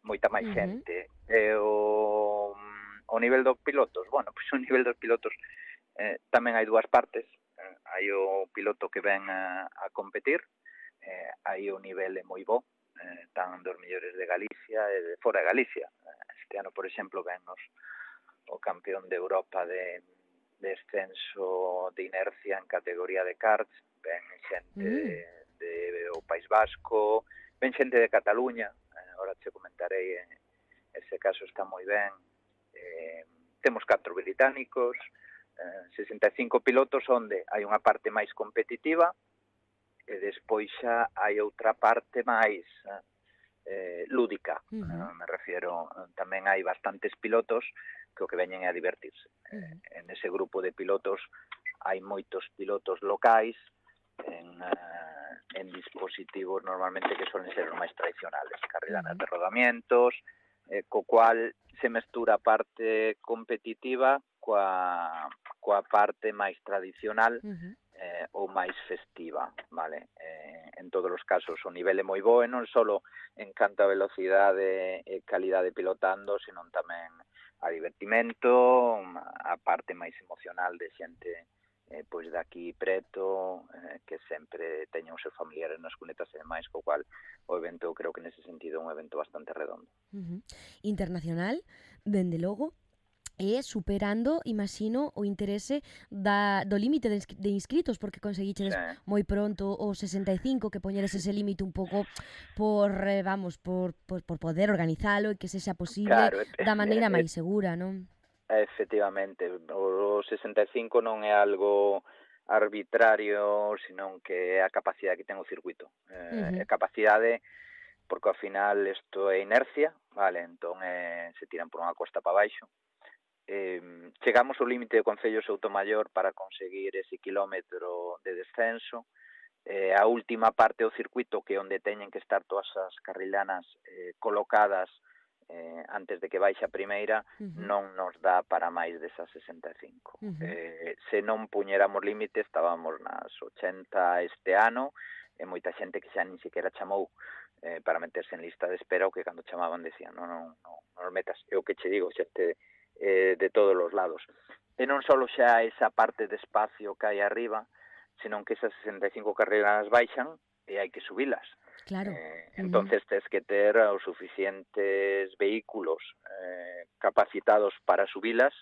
S11: moita máis uh-huh. xente. E o, o nivel dos pilotos, bueno, pois o nivel dos pilotos eh, tamén hai dúas partes. Eh, hai o piloto que ven a, a competir, eh, aí o nivel é moi bo, eh, tan dos mellores de Galicia e de fora de Galicia. Este ano, por exemplo, ven nos o campeón de Europa de descenso de inercia en categoría de karts, ven xente mm. de, de o País Vasco, ven xente de Cataluña, eh, ahora te comentarei, eh, ese caso está moi ben. Eh, temos catro británicos, eh, sesenta e cinco pilotos onde hai unha parte máis competitiva e despois xa hai outra parte máis eh, lúdica. Uh-huh. Eh, me refiero, tamén hai bastantes pilotos que o que veñen é a divertirse. Uh-huh. En ese grupo de pilotos hai moitos pilotos locais en, uh, en dispositivos normalmente que suelen ser os máis tradicionales, carrilanas uh-huh. de rodamientos, eh, co cual se mestura a parte competitiva coa, coa parte máis tradicional uh-huh. eh, ou máis festiva, vale? Eh, en todos os casos o nivel é moi bo e non só en canto a velocidade e calidade pilotando, senón tamén a divertimento, a parte máis emocional de xente eh, pois daqui preto, eh, que sempre teñen os seus familiares nas cunetas e demais, co cual o evento, eu creo que nese sentido é un evento bastante redondo.
S2: Uh-huh. Internacional, dende logo, e superando, imagino, o interese da, do límite de, de inscritos, porque conseguichedes sí. moi pronto o sesenta e cinco, que poñeres ese límite un pouco por, eh, vamos, por, por, por poder organizalo e que se xa posible claro, da maneira eh, máis segura, non?
S11: Efectivamente, o sesenta e cinco non é algo arbitrario, senón que é a capacidade que ten o circuito. Eh, uh-huh. A capacidade, porque ao final isto é inercia, vale, entón eh, se tiran por unha costa para baixo. Eh, chegamos ao límite de Concello Soutomaior para conseguir ese kilómetro de descenso. Eh, a última parte do circuito, que é onde teñen que estar todas as carrilanas eh, colocadas eh, antes de que baixe a primeira, uh-huh. non nos dá para máis desas sesenta e cinco. Uh-huh. Eh, se non puñéramos límite, estábamos nas ochenta este ano, e moita xente que xa nin siquiera chamou eh, para meterse en lista de espera, o que cando chamaban decían, non, non, non, non metas. É o que che digo, xente eh, de todos os lados. E non só xa esa parte de espacio que hai arriba, senón que esas sesenta e cinco carreras baixan e hai que subilas.
S2: Claro.
S11: Eh, entonces uh-huh. tes que ter os suficientes vehículos eh, capacitados para subilas,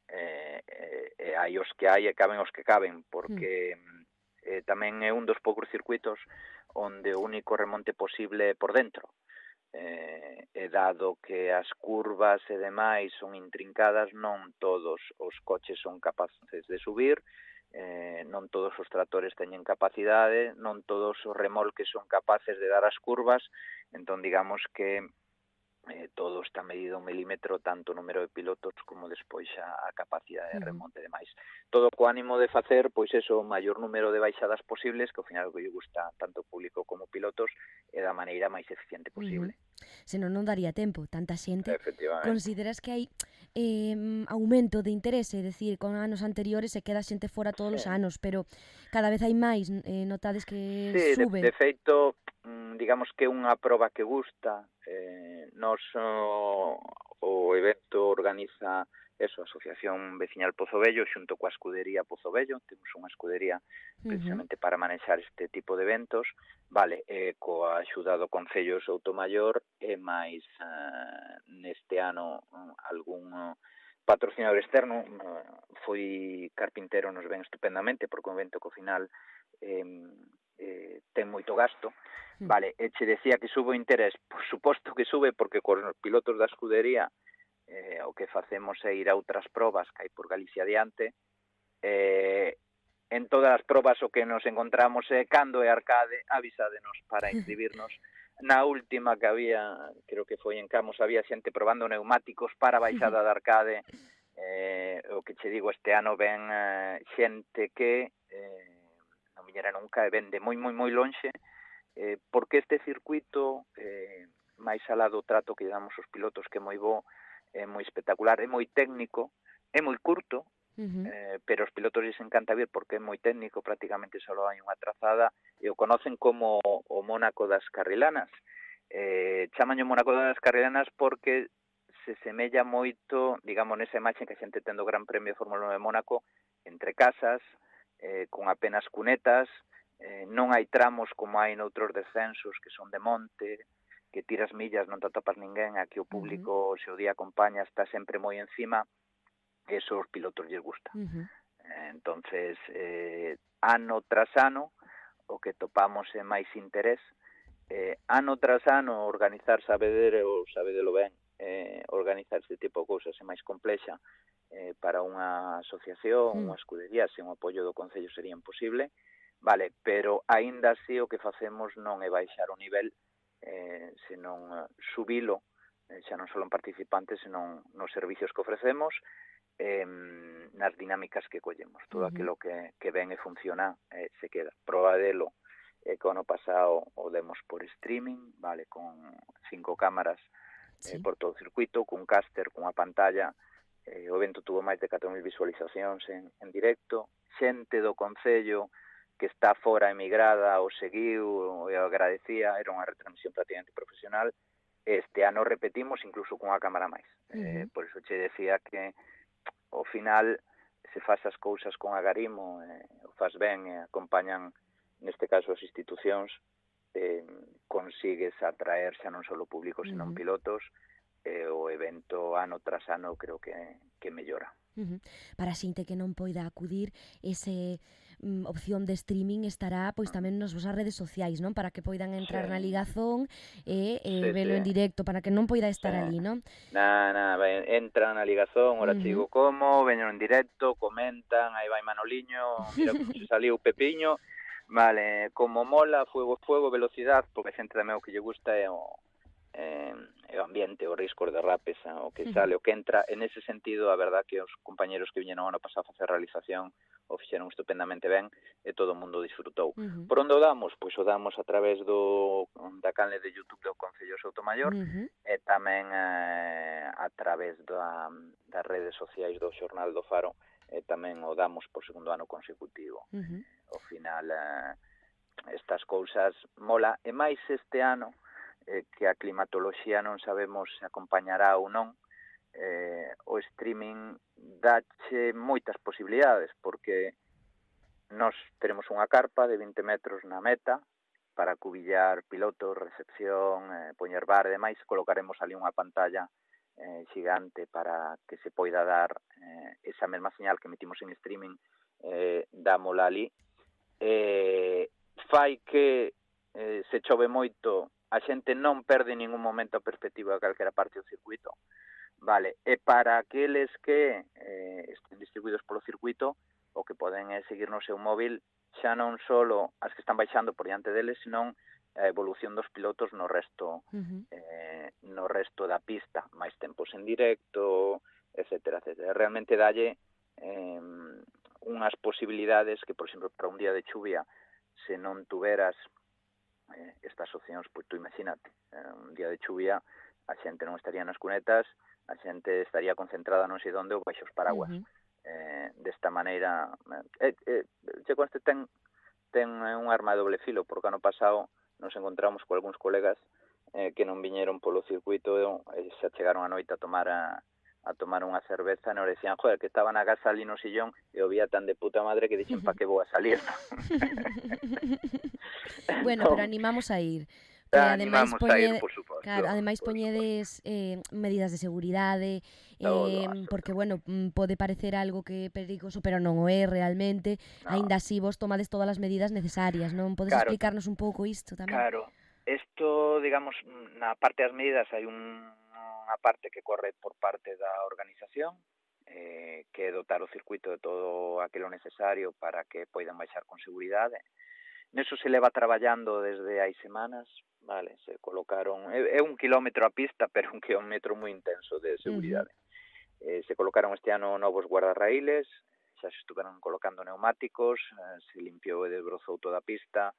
S11: eh, eh, e hai os que hai e caben os que caben, porque uh-huh. eh, tamén é un dos poucos circuitos onde o único remonte posible é por dentro. Eh, e dado que as curvas e demais son intrincadas, non todos os coches son capaces de subir, eh, non todos os tractores teñen capacidade, non todos os remolques son capaces de dar as curvas, entón digamos que eh, todo está medido un milímetro, tanto o número de pilotos como despois a, a capacidade de remonte e demais. Todo co ánimo de facer, pois eso, o maior número de baixadas posibles, que ao final o que lle gusta tanto público como pilotos, é da maneira máis eficiente posible.
S2: Uh-huh. Senón non daría tempo, tanta xente. Consideras que hai eh, aumento de interese, é dicir, con anos anteriores se queda xente fora todos sí. os anos, pero cada vez hai máis, eh, notades que
S11: sí,
S2: sube.
S11: De, de feito, digamos que é unha proba que gusta. Eh, nos o, o evento organiza eso, a Asociación Veciñal Pozo Vello xunto coa escudería Pozo Vello. Temos unha escudería precisamente uh-huh. para manexar este tipo de eventos, vale, eh, coa axuda do Concello de Soutomaior e máis uh, neste ano uh, algún uh, patrocinador externo. Uh, foi Carpintero, nos ven estupendamente porque un evento que ao final eh, eh, ten moito gasto. Vale, e che decía que sube o interés, por suposto que sube, porque con os pilotos da escudería eh, o que facemos é ir a outras probas que hai por Galicia adiante. Eh, en todas as probas o que nos encontramos é cando é arcade, avisádenos para inscribirnos. Na última que había, creo que foi en Camos, había xente probando neumáticos para a baixada de arcade. Eh, o que che digo, este ano ven eh, xente que eh, non viñera nunca e ven de moi, moi, moi lonxe. Eh, porque este circuito, eh, máis alá do trato que damos aos pilotos, que é moi bo, é moi espectacular, é moi técnico, é moi curto, uh-huh. eh, pero os pilotos lles encanta vir porque é moi técnico, prácticamente só hai unha trazada, e o conocen como o Mónaco das Carrilanas. Eh, chamaño Mónaco das Carrilanas porque se semella moito, digamos, nesa imaxe que a xente ten do Gran Premio de Fórmula uno de Mónaco, entre casas, eh, con apenas cunetas. Eh, non hai tramos como hai noutros descensos que son de monte, que tiras millas, non te atopas ninguén, aquí o público, uh-huh. se o día acompaña, está sempre moi encima, e eso os pilotos lles gusta. Uh-huh. Eh, entonces, eh, ano tras ano, o que topamos é máis interés. Eh, ano tras ano, organizar, sabedero, ou sabedelo ben, eh, organizar este tipo de cousas é máis complexa. Eh, para unha asociación, uh-huh. unha escudería, sen o apoio do Concello sería imposible. Vale, pero aínda así o que facemos non é baixar o nivel, eh, senón uh, subilo, eh, xa non só en participantes, senón nos servicios que ofrecemos, eh, nas dinámicas que collemos. Todo uh-huh. aquilo que, que ven e funciona, eh, se queda. Proba delo, eh, que o ano pasado o demos por streaming, vale, con cinco cámaras eh, sí. por todo o circuito, cun caster, cunha pantalla. Eh, o evento tuvo máis de catro mil visualizacións en, en directo. Xente do Concello que está fora emigrada o seguiu e o agradecía, era unha retransmisión prácticamente profesional. Este ano repetimos incluso cunha cámara máis. Uh-huh. Eh, por iso che decía que ao final se faz as cousas con agarimo, eh, o faz ben e acompañan, neste caso as institucións, eh, consigues atraer xa non só o público, senón uh-huh. pilotos, e eh, o evento ano tras ano creo que, que mellora.
S2: Uh-huh. Para a xente que non poida acudir, ese mm, opción de streaming estará pois tamén nas vosas redes sociais, non? Para que poidan entrar sí. na ligazón e, e sí, velo sí. en directo, para que non poida estar sí. ali, non?
S11: Na, na, entran na ligazón, ora uh-huh. digo como, veño en directo, comentan, aí vai Manoliño, mira como se saliu Pepiño, vale, como mola, fuego, fuego, velocidade, porque a xente tamén o que lle gusta é o eh, o ambiente, o risco de rapes, o que sale, o que entra. En ese sentido, a verdad que os compañeros que viñeron ano pasado a facer realización o fixeron estupendamente ben e todo o mundo disfrutou. Uh-huh. Por onde o damos? Pois o damos a través do da canle de YouTube do Concello de Soutomaior uh-huh. e tamén eh, a través da, das redes sociais do Xornal do Faro e tamén o damos por segundo ano consecutivo. Uh-huh. Ao final, eh, estas cousas mola, e máis este ano, eh, que a climatoloxía non sabemos se acompañará ou non, eh, o streaming dache moitas posibilidades, porque nós teremos unha carpa de vinte metros na meta para cubillar pilotos, recepción, eh, poñer bar e demais. Colocaremos ali unha pantalla eh, xigante para que se poida dar eh, esa mesma señal que emitimos en streaming, eh, dámola ali. Eh, fai que eh, se chove moito, a xente non perde en ningún momento a perspectiva de calquera parte do circuito, vale, e para aqueles que eh, estén distribuídos polo circuito, o que poden é seguir no seu móvil, xa non só as que están baixando por diante deles, senón a evolución dos pilotos no resto uh-huh. eh, no resto da pista, máis tempos en directo, etcétera, etcétera. Realmente dalle eh, unhas posibilidades que, por exemplo, para un día de chuvia, se non tuveras eh, estas opcións, pois tú imagínate, eh, un día de chuvia, a xente non estaría nas cunetas, a xente estaría concentrada non sei onde ou baixo os paraguas. Uh-huh. Eh, desta maneira, eh, eh, che conste ten, ten un arma de doble filo, porque ano pasado nos encontramos con algúns colegas eh, que non viñeron polo circuito e xa chegaron a noite a tomar a, a tomar unha cerveza e nos decían, joder, que estaba na casa ali no sillón e o vía tan de puta madre que dixen, pa que vou a salir?
S2: Bueno,
S11: no.
S2: pero animamos a ir. Que ademais
S11: Animamos
S2: poñede,
S11: a ir, por suposto.
S2: Claro, ademais poñedes eh, medidas de seguridade,
S11: Todo,
S2: eh, porque, bueno, mm, pode parecer algo que é perigoso, pero non o é realmente.
S11: No.
S2: Aínda así vos tomades todas as medidas necesarias, non? Podes
S11: Claro.
S2: explicarnos un pouco isto tamén?
S11: Claro. Isto, digamos, na parte das medidas hai un, unha parte que corre por parte da organización, eh, que é dotar o circuito de todo aquilo necesario para que poidan baixar con seguridade. Neso se leva traballando desde hai semanas, vale, se colocaron, é, é un kilómetro a pista, pero un kilómetro moi intenso de seguridade. Uh-huh. Eh, se colocaron este ano novos guardarraíles, xa se estuveron colocando neumáticos, eh, se limpiou e desbrozou toda a pista,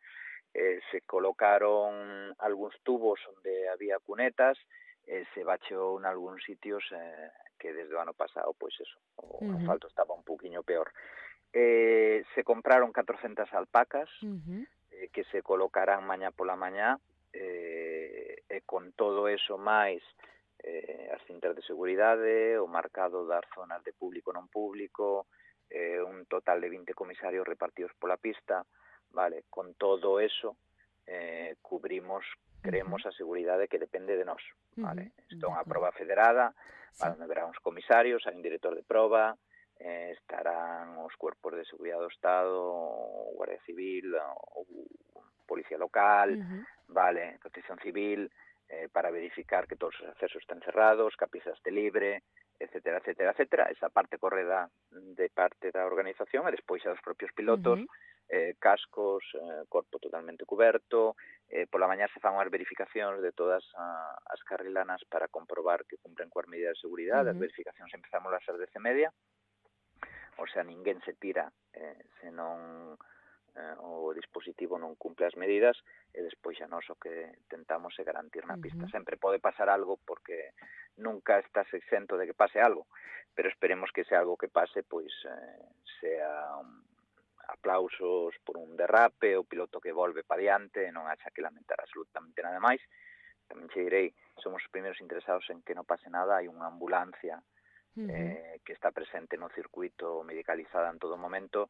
S11: eh, se colocaron algúns tubos onde había cunetas, eh, se bacheou en algúns sitios eh, que desde o ano pasado, pois eso, o uh-huh. asfalto estaba un poquinho peor. Eh, se compraron catrocentas alpacas uh-huh. eh, que se colocarán mañá pola mañá eh, e con todo eso máis eh, as cintas de seguridade, o marcado das zonas de público non público, eh, un total de vinte comisarios repartidos pola pista, vale, con todo eso eh, cubrimos, creemos uh-huh. a seguridade que depende de nós, vale. Uh-huh. Isto é unha proba federada, sí. Onde verá uns comisarios, hai un director de proba, Eh, estarán os cuerpos de seguridade do Estado, o Guardia Civil, o, o Policía Local, uh-huh. vale, Protección Civil, eh, para verificar que todos os accesos estén cerrados, que a pista este libre, etcétera, etcétera, etcétera. Esa parte corre da, de parte da organización e despois a dos propios pilotos, uh-huh. eh, cascos, eh, corpo totalmente coberto, eh, pola mañá se fan unhas verificacións de todas a, as carrilanas para comprobar que cumpren coas medidas de seguridade. Uh-huh. As verificacións empezamos ás dez e media, o sea, ninguén se tira eh, se non eh, o dispositivo non cumple as medidas e despois xa nós o que tentamos é garantir na pista. Uh-huh. Sempre pode pasar algo porque nunca estás exento de que pase algo, pero esperemos que ese algo que pase pois eh, sea un aplausos por un derrape, o piloto que volve pa diante, non haxa que lamentar absolutamente nada máis. Tamén che direi, somos os primeiros interesados en que non pase nada, hai unha ambulancia Uh-huh. Eh, que está presente no circuito medicalizada en todo momento.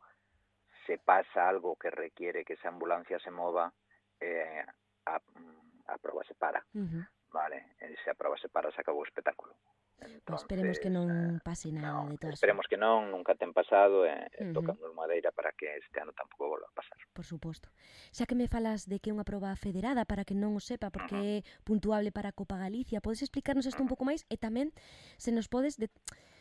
S11: Se pasa algo que requiere que esa ambulancia se mova, eh, a, a proba se para, uh-huh. vale, e se a proba se para se acabou o espectáculo. Entonces,
S2: pues esperemos que non pase nada
S11: no,
S2: de todo.
S11: Esperemos que non, nunca ten pasado e eh,
S2: uh-huh.
S11: tocamos madeira para que este ano tampouco volva a pasar.
S2: Por suposto. Xa que me falas de que é unha proba federada, para que non o sepa, porque uh-huh. é puntuable para a Copa Galicia, podes explicarnos isto uh-huh. un pouco máis? E tamén se nos podes de...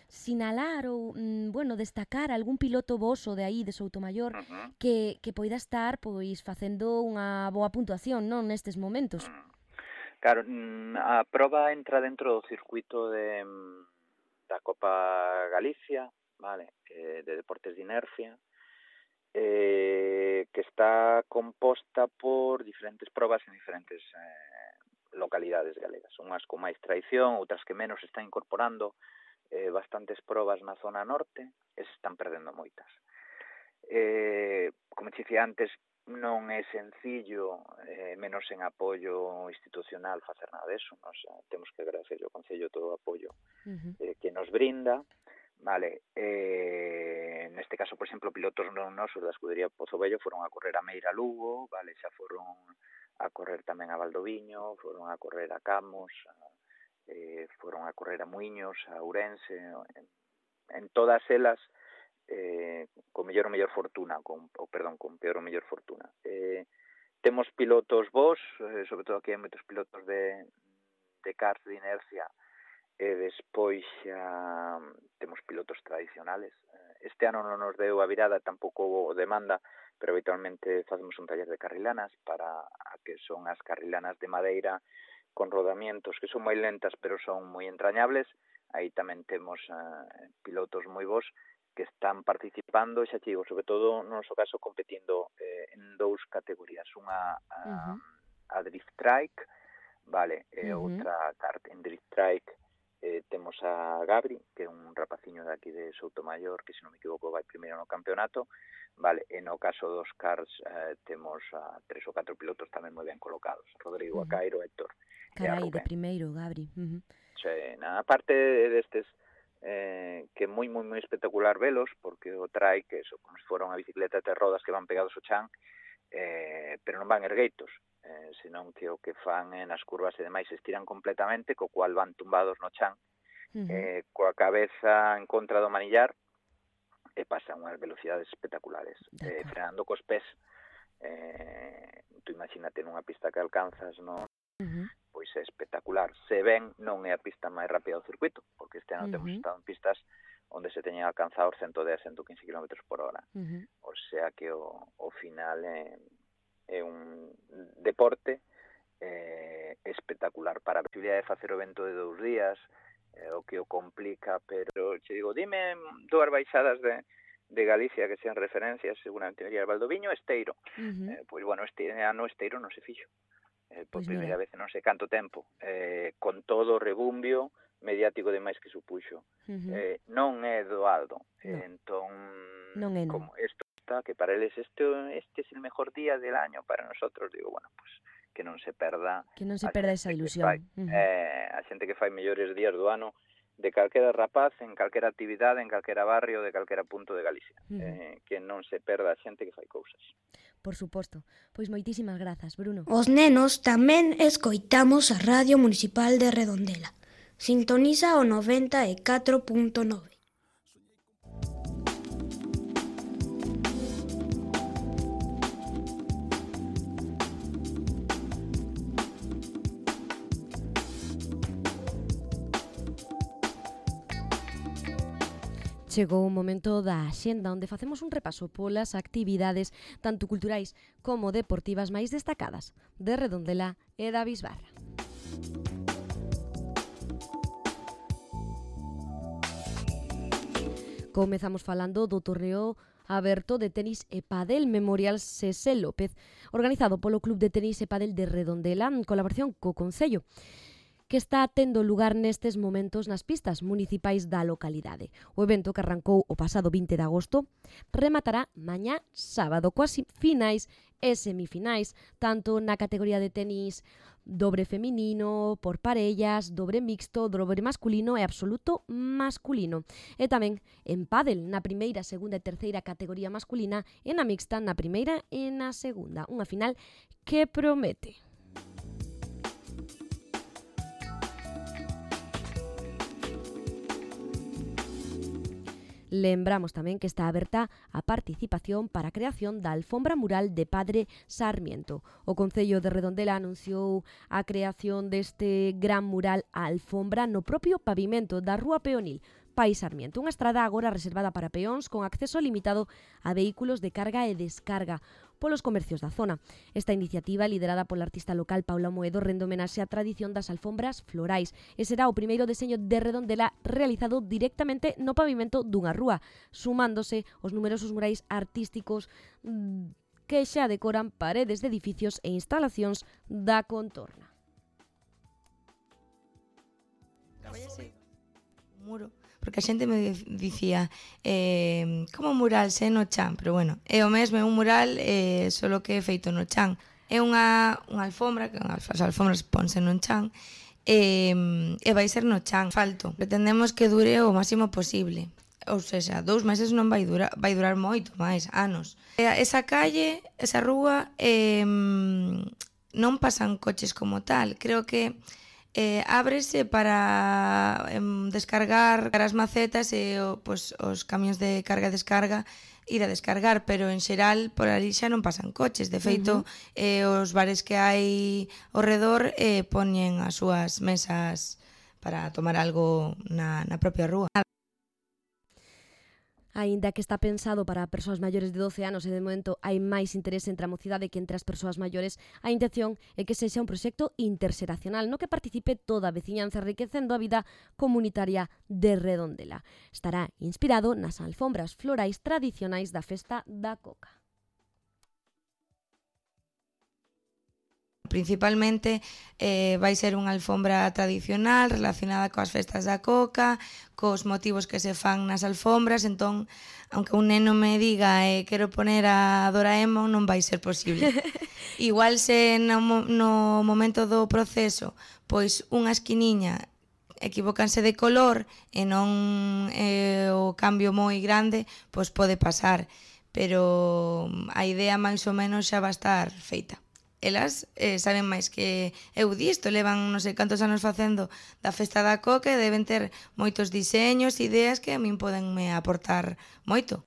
S2: sinalar ou, mm, bueno, destacar algún piloto voso de aí, de Soutomaior, uh-huh. que, que poida estar pois facendo unha boa puntuación, non, nestes momentos.
S11: Uh-huh. Claro, a proba entra dentro do circuito de, da Copa Galicia, vale, eh, de deportes de inercia, eh, que está composta por diferentes probas en diferentes eh, localidades galegas. Unhas con máis tradición, outras que menos están incorporando eh, bastantes probas na zona norte, e se están perdendo moitas. Eh, como te dicía antes, non é sencillo, eh, menos en apoio institucional, facer nada deso. Nos eh, temos que agradecer ao Concello todo o apoio uh-huh. eh, que nos brinda. Vale, eh, neste caso, por exemplo, pilotos non nosos da escudería Pozo Vello foron a correr a Meira Lugo, vale, xa foron a correr tamén a Valdoviño, foron a correr a Camos, a, eh, foron a correr a Muiños, a Ourense, en, en todas elas eh, con mellor ou mellor fortuna, con, ou perdón, con peor ou mellor fortuna. Eh, temos pilotos vos, eh, sobre todo aquí hai moitos pilotos de, de karts de inercia, e despois xa temos pilotos tradicionales. Este ano non nos deu a virada, tampouco demanda, pero habitualmente facemos un taller de carrilanas para a que son as carrilanas de madeira con rodamientos que son moi lentas pero son moi entrañables. Aí tamén temos uh, pilotos moi bons que están participando, xa digo, sobre todo no noso caso competindo eh, en dous categorías, unha a, uh-huh. a Drift Trike, vale, e uh-huh. outra kart en Drift Trike. Eh, temos a Gabri, que é un rapaciño de aquí de Soutomayor, que se non me equivoco vai primeiro no campeonato, vale, e no caso dos cars eh, temos a tres ou catro pilotos tamén moi ben colocados, Rodrigo, uh -huh. Acairo, Héctor.
S2: Carai, de primeiro, Gabri. Uh -huh.
S11: Sí, na parte destes eh, que é moi, moi, moi espectacular velos, porque o trai, que eso, como se fora unha bicicleta de rodas que van pegados ao chan, eh, pero non van ergueitos, eh, senón que o que fan eh, nas curvas e demais se estiran completamente, co cual van tumbados no chan, uh -huh. eh, coa cabeza en contra do manillar, e pasan unhas velocidades espectaculares, eh, frenando cos pés. Eh, tú imagínate nunha pista que alcanzas, non? Uh -huh. Pois é espectacular. Se ven, non é a pista máis rápida do circuito, porque este ano uh -huh. temos estado en pistas onde se teñen alcanzado os ciento dez, ciento quince kilómetros por hora. Uh -huh. O sea que o, o final é, é un deporte eh, espectacular para a posibilidade de facer o evento de dous días, eh, o que o complica, pero che digo, dime dúas baixadas de, de Galicia que sean referencias, seguramente diría Valdoviño, Esteiro. Uh -huh. eh, pois bueno, este ano Esteiro non se fixo. Eh, por pues primeira vez non sei canto tempo, eh, con todo o rebumbio mediático demais que supuxo. Uh -huh. eh, non é doado. No. Eh, entón,
S2: non é, non.
S11: Como isto está, que para eles este, este es el mejor día del año, para nosotros, digo, bueno, pues que non se perda...
S2: Que non se perda esa ilusión.
S11: Fai, uh -huh. eh, a xente que fai mellores días do ano de calquera rapaz, en calquera actividade, en calquera barrio, de calquera punto de Galicia. Uh -huh. eh, que non se perda a xente que fai cousas.
S2: Por suposto. Pois moitísimas grazas, Bruno.
S12: Os nenos tamén escoitamos a Radio Municipal de Redondela. Sintoniza o noventa e catro punto nove.
S2: Chegou o momento da axenda onde facemos un repaso polas actividades tanto culturais como deportivas máis destacadas de Redondela e da Bisbarra. Comezamos falando do torneo aberto de tenis e pádel Memorial Sese López, organizado polo Club de Tenis e Pádel de Redondela en colaboración co Concello, que está tendo lugar nestes momentos nas pistas municipais da localidade. O evento, que arrancou o pasado vinte de agosto, rematará mañá sábado coas finais e semifinais, tanto na categoría de tenis dobre feminino, por parellas, dobre mixto, dobre masculino e absoluto masculino. E tamén en pádel, na primeira, segunda e terceira categoría masculina, e na mixta na primeira e na segunda. Unha final que promete. Lembramos tamén que está aberta a participación para a creación da alfombra mural de Padre Sarmiento. O Concello de Redondela anunciou a creación deste gran mural a alfombra no propio pavimento da Rúa Peonil, Pai Sarmiento, unha estrada agora reservada para peóns con acceso limitado a vehículos de carga e descarga polos comercios da zona. Esta iniciativa, liderada pola artista local Paula Moedo, rende homenaxe á tradición das alfombras florais e será o primeiro deseño de Redondela realizado directamente no pavimento dunha rúa, sumándose os numerosos murais artísticos que xa decoran paredes de edificios e instalacións da contorna.
S13: Caballase un muro, porque a xente me dicía eh, como mural se no chan, pero bueno, é o mesmo, é un mural eh, solo que é feito no chan. É unha, unha alfombra, que as alfombras ponse no chan, e, e vai ser no chan. Falto, pretendemos que dure o máximo posible, ou seja, dous meses non vai durar, vai durar moito máis, anos. Esa calle, esa rúa, eh, non pasan coches como tal, creo que Eh, ábrese para eh, descargar as macetas e o, pues, os camións de carga e descarga ir a descargar, pero en xeral por ali xa non pasan coches. De feito, uh-huh. eh, os bares que hai ao redor eh, poñen as súas mesas para tomar algo na, na propia rúa.
S2: Aínda que está pensado para persoas maiores de doce anos e de momento hai máis interese entre a mocidade que entre as persoas maiores, a intención é que sexa un proxecto interxeracional no que participe toda a veciñanza enriquecendo a vida comunitaria de Redondela. Estará inspirado nas alfombras florais tradicionais da festa da Coca.
S13: principalmente eh, vai ser unha alfombra tradicional relacionada coas festas da coca, cos motivos que se fan nas alfombras, entón, aunque un neno me diga eh, quero poner a Doraemon, non vai ser posible. Igual se no, no momento do proceso, pois unha esquiniña equivócanse de color e non é eh, o cambio moi grande, pois pode pasar, pero a idea máis ou menos xa va estar feita. Elas eh, saben máis que eu disto, levan non sei cantos anos facendo da festa da coca e deben ter moitos diseños, ideas que a min podenme aportar moito.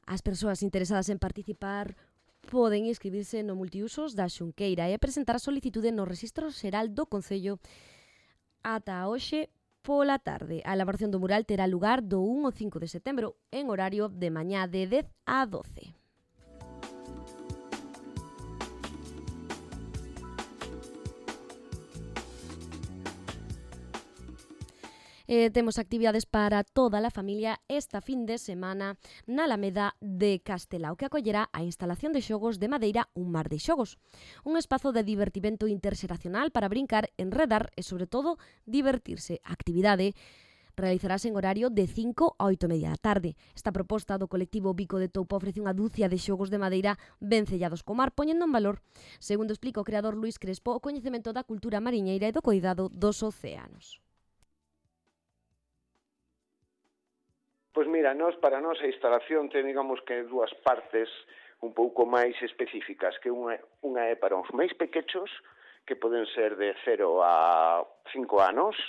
S2: As persoas interesadas en participar poden inscribirse no multiusos da Xunqueira e presentar a solicitude no Rexistro Xeral do Concello ata hoxe pola tarde. A elaboración do mural terá lugar do un ao cinco de setembro en horario de mañá de dez a doce. Eh, temos actividades para toda a familia esta fin de semana na Alameda de Castelao, que acollerá a instalación de xogos de madeira Un Mar de Xogos, un espazo de divertimento interxeracional para brincar, enredar e, sobre todo, divertirse. A actividade realizarase en horario de cinco a oito e media da tarde. Esta proposta do colectivo Bico de Toupa ofrece unha dúcia de xogos de madeira ben sellados co mar, poñendo en valor, segundo explica o creador Luís Crespo, o coñecemento da cultura mariñeira e do cuidado dos océanos.
S14: Pois mira, nos, para nós a instalación ten, digamos, que dúas partes un pouco máis específicas, que unha, unha é para os máis pequechos, que poden ser de cero a cinco anos,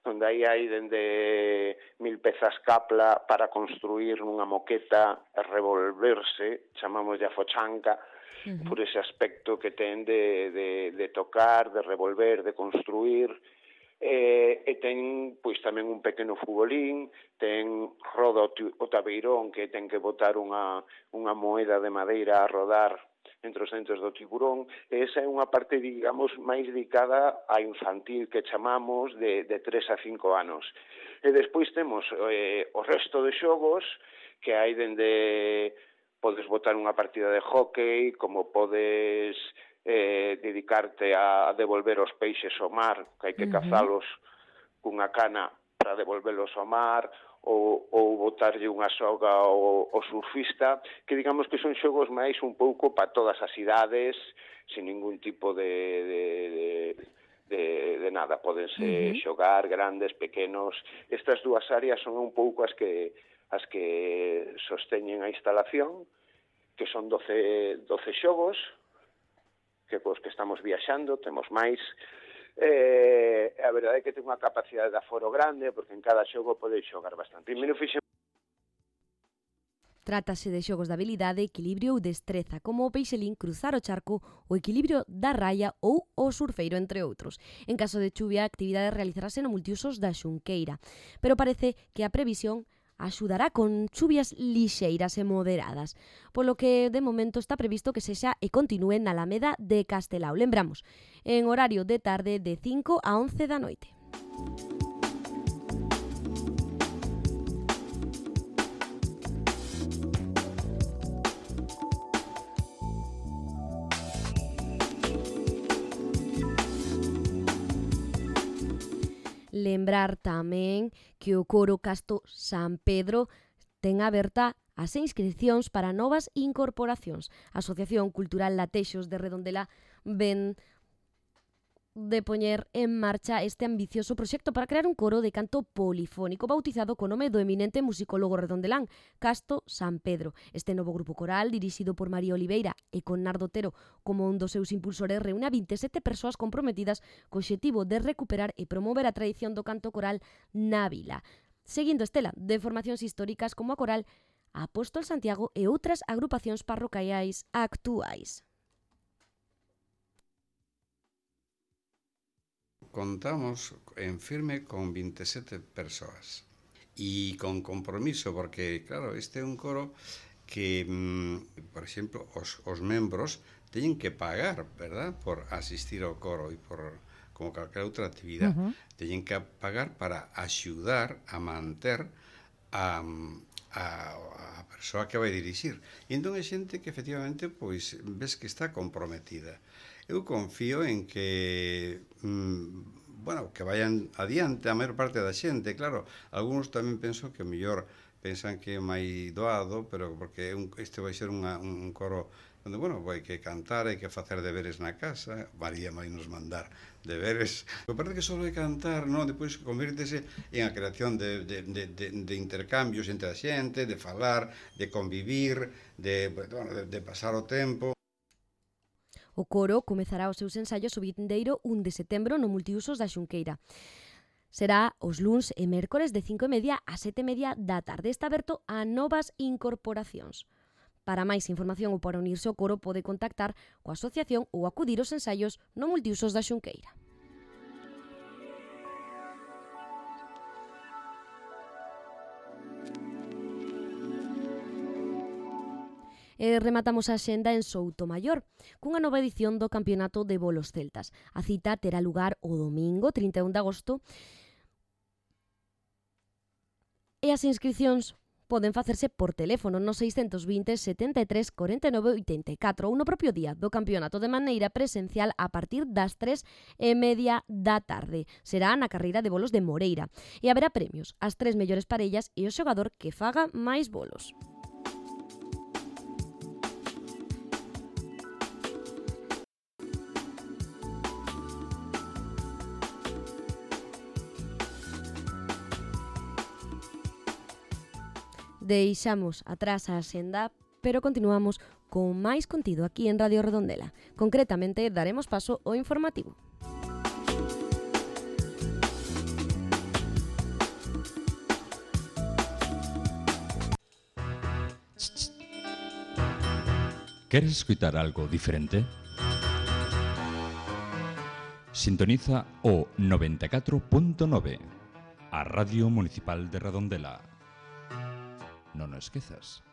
S14: onde aí hai dende mil pezas capla para construir unha moqueta e revolverse, chamamos de afochanca, uh-huh. por ese aspecto que ten de, de, de tocar, de revolver, de construir. E, e ten pois tamén un pequeno futbolín, ten roda o tabeirón que ten que botar unha, unha moeda de madeira a rodar entre os dentes do tiburón, e esa é unha parte, digamos, máis dedicada a infantil que chamamos de, de tres a cinco anos. E despois temos eh, o resto de xogos que hai dende podes botar unha partida de hóckey, como podes Eh, dedicarte a devolver os peixes ao mar, que hai que cazalos cunha cana para devolverlos ao mar, ou, ou botarlle unha soga ao, ao surfista, que digamos que son xogos máis un pouco para todas as idades, sin ningún tipo de, de, de, de, de nada. Pódense uh-huh. xogar grandes, pequenos. Estas dúas áreas son un pouco as que, as que sosteñen a instalación, que son doce, doce xogos, que cos que estamos viaxando, temos máis. Eh, a verdade é que ten unha capacidade de aforo grande, porque en cada xogo pode xogar bastante.
S2: Trátase de xogos de habilidade, equilibrio ou destreza, como o peixelín, cruzar o charco, o equilibrio da raia ou o surfeiro, entre outros. En caso de chuvia, a actividade realizarase no multiusos da Xunqueira, pero parece que a previsión axudará con chuvias lixeiras e moderadas, polo que de momento está previsto que sexa e continúe na Alameda de Castelao. Lembramos, en horario de tarde de cinco a once da noite. Lembrar tamén que o coro Casto San Pedro ten aberta as inscripcións para novas incorporacións. A Asociación Cultural Latexos de Redondela ven de poñer en marcha este ambicioso proxecto para crear un coro de canto polifónico bautizado co nome do eminente musicólogo redondelán Casto San Pedro. Este novo grupo coral, dirixido por María Oliveira e con Nardo Otero como un dos seus impulsores, reúne a vinte e sete persoas comprometidas co obxectivo de recuperar e promover a tradición do canto coral na vila, seguindo estela de formacións históricas como a coral Apóstol Santiago e outras agrupacións parroquiais actuais.
S15: Contamos en firme con vinte e sete persoas e con compromiso, porque, claro, este é un coro que, mm, por exemplo, os, os membros teñen que pagar, verdad, por asistir ao coro e por, como calquera outra actividade, uh-huh. teñen que pagar para axudar a manter a, a, a persoa que vai dirixir. E entón é xente que efectivamente pois ves que está comprometida. Eu confío en que mm, bueno, que vayan adiante a maior parte da xente, claro, algúns tamén penso que mellor pensan que é máis doado, pero porque un, este vai ser unha, un coro onde, bueno, vai que cantar, hai que facer deberes na casa, María vai nos mandar deberes, me parece que só é cantar, non? Depois convírtese en a creación de, de, de, de, de intercambios entre a xente, de falar, de convivir, de, bueno, de, de pasar o tempo.
S2: O coro comezará os seus ensaios o vindeiro un de setembro no Multiusos da Xunqueira. Será os luns e mércores de cinco e media a sete e media da tarde. Está aberto a novas incorporacións. Para máis información ou para unirse ao coro pode contactar coa asociación ou acudir aos ensaios no Multiusos da Xunqueira. E rematamos a xenda en Soutomaior, cunha nova edición do Campeonato de Bolos Celtas. A cita terá lugar o domingo, trinta e un de agosto, e as inscricións poden facerse por teléfono no seiscentos vinte, setenta e tres, cuarenta e nove, oitenta e catro ou no propio día do campeonato de maneira presencial a partir das tres e media da tarde. Será na carreira de bolos de Moreira e haberá premios, as tres mellores parellas e o xogador que faga máis bolos. Deixamos atrás a xenda, pero continuamos con máis contido aquí en Radio Redondela. Concretamente, daremos paso ao informativo.
S1: ¿Queres escutar algo diferente? Sintoniza o noventa e catro punto nove, a Radio Municipal de Redondela. Non o esquezas.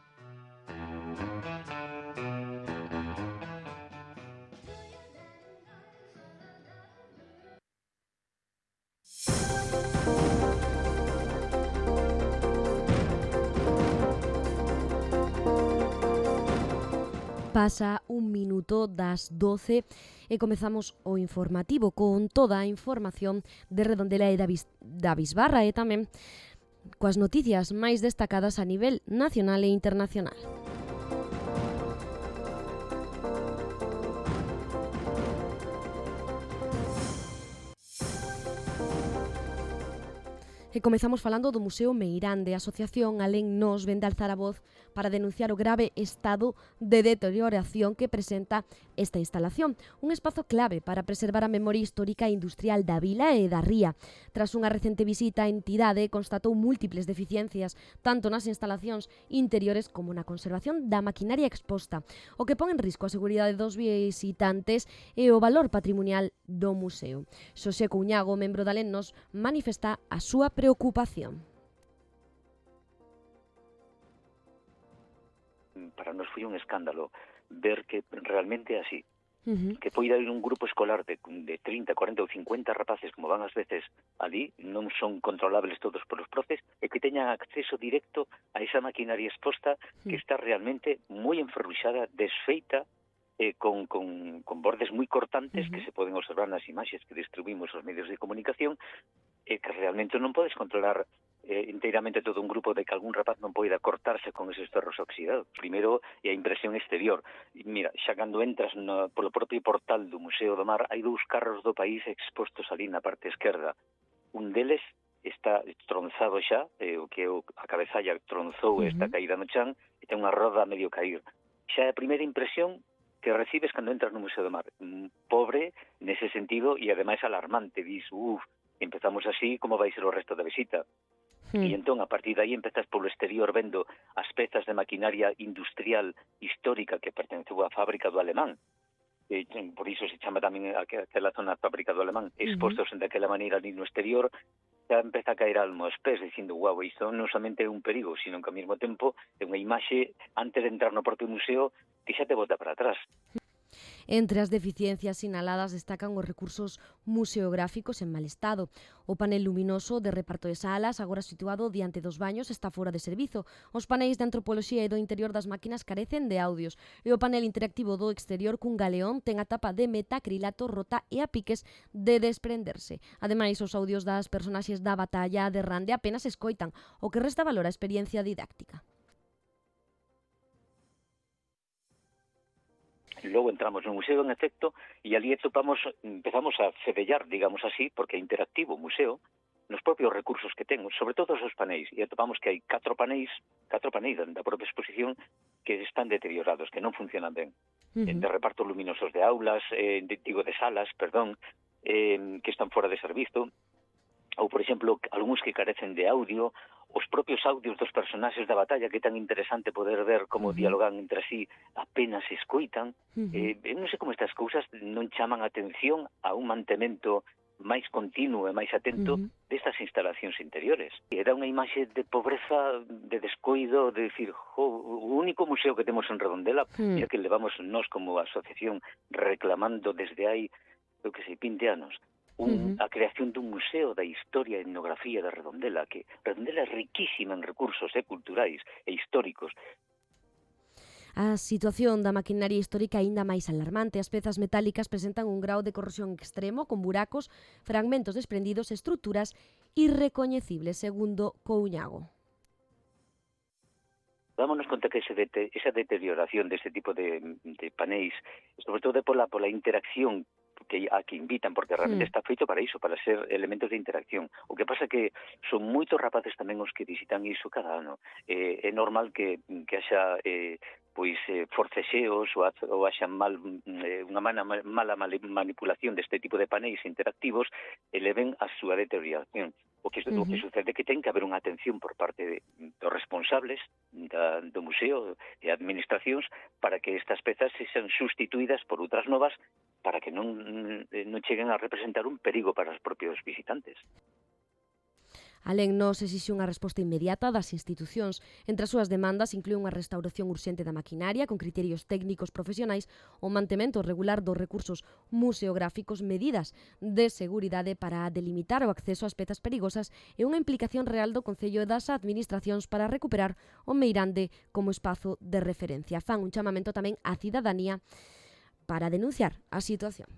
S2: Pasa un minuto das doce e comezamos o informativo con toda a información de Redondela e da, Bis- da Bisbarra e tamén coas noticias máis destacadas a nivel nacional e internacional. E comezamos falando do Museo Meirande. A Asociación Alén Nos vén de alzar a voz para denunciar o grave estado de deterioración que presenta esta instalación, un espazo clave para preservar a memoria histórica e industrial da vila e da ría. Tras unha recente visita, a entidade constatou múltiples deficiencias, tanto nas instalacións interiores como na conservación da maquinaria exposta, o que pon en risco a seguridade dos visitantes e o valor patrimonial do museo. Xosé Cuñago, membro da Alén Nos, manifesta a súa preocupación.
S16: Para nos foi un escándalo ver que realmente é así.
S2: Uh-huh.
S16: Que poida ir un grupo escolar de, de trinta, cuarenta ou cincuenta rapaces, como van ás veces ali, non son controlables todos polos profes, e que teñan acceso directo a esa maquinaria exposta que está realmente moi enferruxada, desfeita, eh, con, con, con bordes moi cortantes, uh-huh, que se poden observar nas imaxes que distribuimos aos medios de comunicación, e que realmente non podes controlar eh, inteiramente todo un grupo de que algún rapaz non poida cortarse con esos ferros oxidados. Primeiro é a impresión exterior. E mira, xa cando entras no, polo propio portal do Museo do Mar, hai dous carros do país expostos ali na parte esquerda. Un deles está tronzado xa, eh, o que a cabezalla tronzou, uh-huh, esta caída no chan, e ten unha roda a medio cair. Xa é a primeira impresión que recibes cando entras no Museo do Mar. Pobre nese sentido e ademais alarmante. Dis, uff, empezamos así, como vai ser o resto da visita? Mm. E entón, a partir de aí, empezas polo exterior vendo as pezas de maquinaria industrial histórica que pertenceu á fábrica do Alemán. E, por iso se chama tamén aquela zona fábrica do Alemán. Expostos uh-huh, daquela maneira ali no exterior, xa empeza a caer almo aos pés, dicindo, guau, isto non somente é un perigo, sino que ao mesmo tempo é unha imaxe, antes de entrar no propio museo, que xa te bota para atrás.
S2: Entre as deficiencias sinaladas destacan os recursos museográficos en mal estado. O panel luminoso de reparto de salas, agora situado diante dos baños, está fora de servizo. Os paneis de antropoloxía e do interior das máquinas carecen de audios. E o panel interactivo do exterior cun galeón ten a tapa de metacrilato rota e a piques de desprenderse. Ademais, os audios das personaxes da batalla de Rande apenas escoitan, o que resta valor á experiencia didáctica.
S16: Logo entramos no museo, en efecto, e ali topamos, empezamos a fedellar, digamos así, porque é interactivo o museo, nos propios recursos que ten, sobre todo os paneis, e atopamos que hai catro paneis, catro paneis da propia exposición que están deteriorados, que non funcionan ben. Uh-huh. De reparto luminosos de aulas, eh, de, digo, de salas, perdón, eh, que están fora de servizo, ou, por exemplo, algúns que carecen de audio, os propios audios dos personaxes da batalla, que é tan interesante poder ver como uh-huh. dialogan entre sí, apenas se escoitan. Uh-huh. Eh, non sei como estas cousas non chaman a atención a un mantemento máis continuo e máis atento uh-huh. destas instalacións interiores. E dá unha imaxe de pobreza, de descoido, de decir, jo, o único museo que temos en Redondela, uh-huh. e que levamos nós como asociación reclamando desde hai, eu que sei, vinte anos, Un, uh-huh. a creación dun museo da historia e etnografía de Redondela, que Redondela é riquísima en recursos eh, culturais e históricos.
S2: A situación da maquinaria histórica é aínda máis alarmante. As pezas metálicas presentan un grau de corrosión extremo, con buracos, fragmentos desprendidos e estruturas irrecoñecibles, segundo Couñago.
S16: Dámonos conta que ese dete, esa deterioración deste tipo de, de paneis, sobre todo pola, pola interacción que a que invitan, porque realmente mm. está feito para iso, para ser elementos de interacción. O que pasa que son moitos rapaces tamén os que visitan iso cada ano. Eh, é normal que, que haxa eh, pois eh, forcexeos ou, ou haxa mal, eh, unha mala, mala manipulación deste tipo de paneis interactivos e leven a súa deterioración. O que, uh-huh. o que sucede é que ten que haber unha atención por parte de, dos responsables da, do museo e administracións para que estas pezas sexan sustituídas por outras novas para que non, non cheguen a representar un perigo para os propios visitantes.
S2: Alén nos exixe unha resposta inmediata das institucións. Entre as súas demandas inclúe unha restauración urxente da maquinaria con criterios técnicos profesionais, o mantemento regular dos recursos museográficos, medidas de seguridade para delimitar o acceso ás pezas perigosas e unha implicación real do Concello e das administracións para recuperar o Meirande como espazo de referencia. Fan un chamamento tamén á cidadanía para denunciar a situación.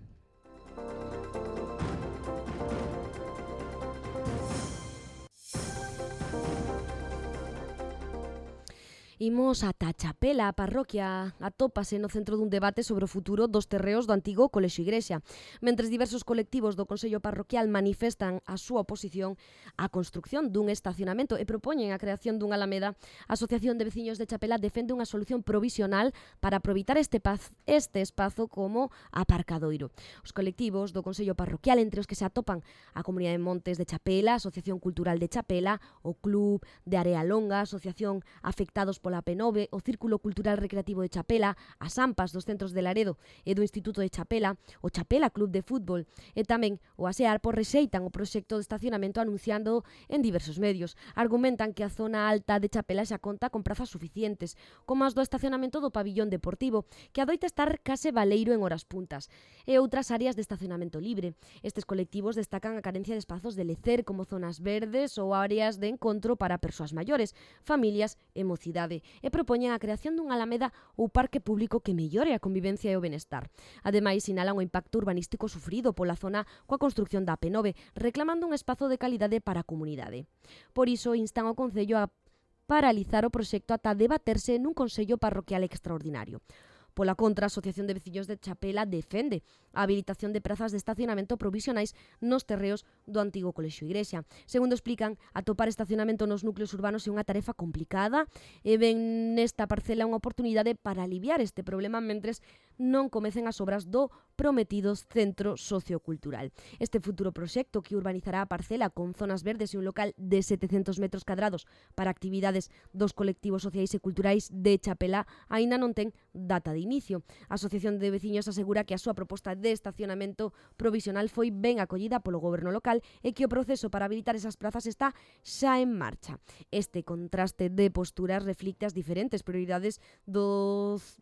S2: Imos ata Chapela, a parroquia atópase no centro dun debate sobre o futuro dos terreos do antigo Colexio Igrexa. Mentres diversos colectivos do Consello Parroquial manifestan a súa oposición á construcción dun estacionamento e propoñen a creación dunha alameda, a Asociación de Veciños de Chapela defende unha solución provisional para aproveitar este, paz, este espazo como aparcadoiro. Os colectivos do Consello Parroquial, entre os que se atopan a Comunidade de Montes de Chapela, a Asociación Cultural de Chapela, o Club de Area Longa, a Asociación Afectados pola P nove, o Círculo Cultural Recreativo de Chapela, as AMPAs dos centros de Laredo e do Instituto de Chapela, o Chapela Club de Fútbol e tamén o ASEARPO rexeitan o proxecto de estacionamento anunciando en diversos medios. Argumentan que a zona alta de Chapela xa conta con prazas suficientes, como as do estacionamento do pabillón deportivo, que adoita estar case baleiro en horas puntas, e outras áreas de estacionamento libre. Estes colectivos destacan a carencia de espazos de lecer como zonas verdes ou áreas de encontro para persoas maiores, familias e mocidade, e propoñen a creación dunha alameda ou parque público que mellore a convivencia e o benestar. Ademais, sinalan o impacto urbanístico sufrido pola zona coa construcción da P nove, reclamando un espazo de calidade para a comunidade. Por iso, instan ao Concello a paralizar o proxecto ata debaterse nun Consello Parroquial extraordinario. Pola contra, a Asociación de Veciños de Chapela defende a habilitación de prazas de estacionamento provisionais nos terreos do antigo Colexio Igrexa. Segundo explican, atopar estacionamento nos núcleos urbanos é unha tarefa complicada e ven nesta parcela unha oportunidade para aliviar este problema mentres non comecen as obras do prometido Centro Sociocultural. Este futuro proxecto que urbanizará a parcela con zonas verdes e un local de setecentos metros cadrados para actividades dos colectivos sociais e culturais de Chapela aínda non ten data de inicio. A Asociación de Veciños asegura que a súa proposta de estacionamento provisional foi ben acollida polo goberno local e que o proceso para habilitar esas plazas está xa en marcha. Este contraste de posturas reflicte as diferentes prioridades dos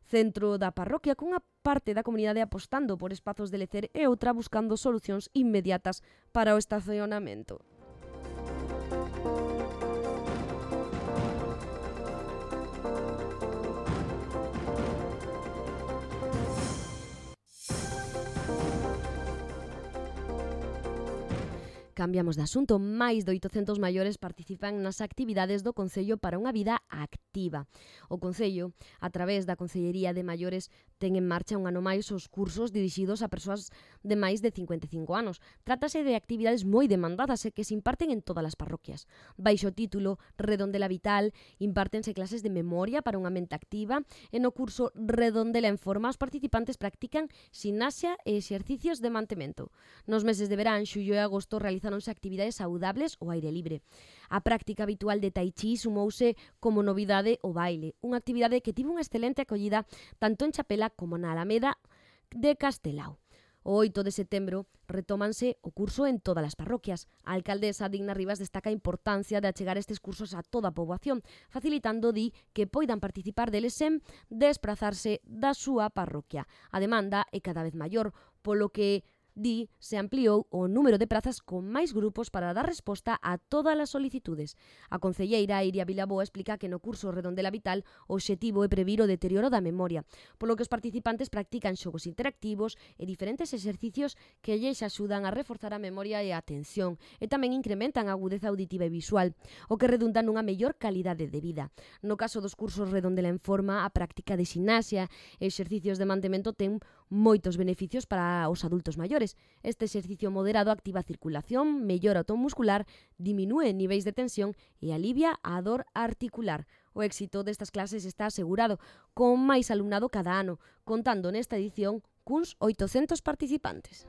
S2: centro da parroquia, cunha parte da comunidade apostando por espazos de lecer e outra buscando solucións inmediatas para o estacionamento. Cambiamos de asunto. Máis de oitocentos maiores participan nas actividades do Concello para unha vida activa. O Concello, a través da Concellería de Maiores, ten en marcha un ano máis os cursos dirixidos a persoas de máis de cincuenta e cinco anos. Trátase de actividades moi demandadas e que se imparten en todas as parroquias. Baixo o título Redondela Vital, impártense clases de memoria para unha mente activa e no curso Redondela en Forma os participantes practican ximnasia e exercicios de mantemento. Nos meses de verán, xullo e agosto, realizáronse actividades saudables ao aire libre. A práctica habitual de tai chi sumouse como novidade o baile, unha actividade que tivo unha excelente acollida tanto en Chapela como na Alameda de Castelao. O oito de setembro retómanse o curso en todas as parroquias. A alcaldesa Digna Rivas destaca a importancia de achegar estes cursos a toda a poboación, facilitando, di, que poidan participar deles sen desplazarse da súa parroquia. A demanda é cada vez maior, polo que di, se ampliou o número de prazas con máis grupos para dar resposta a todas as solicitudes. A concelleira Iria Vilaboa explica que no curso Redondela Vital o obxectivo é previr o deterioro da memoria, polo que os participantes practican xogos interactivos e diferentes exercicios que lles axudan a reforzar a memoria e a atención e tamén incrementan a agudeza auditiva e visual, o que redunda nunha mellor calidade de vida. No caso dos cursos Redondela en Forma, a práctica de ximnasia e exercicios de mantemento ten moitos beneficios para os adultos maiores. Este exercicio moderado activa a circulación, mellora o ton muscular, diminúe niveis de tensión e alivia a dor articular. O éxito destas clases está asegurado, con máis alumnado cada ano, contando nesta edición cuns oitocentos participantes.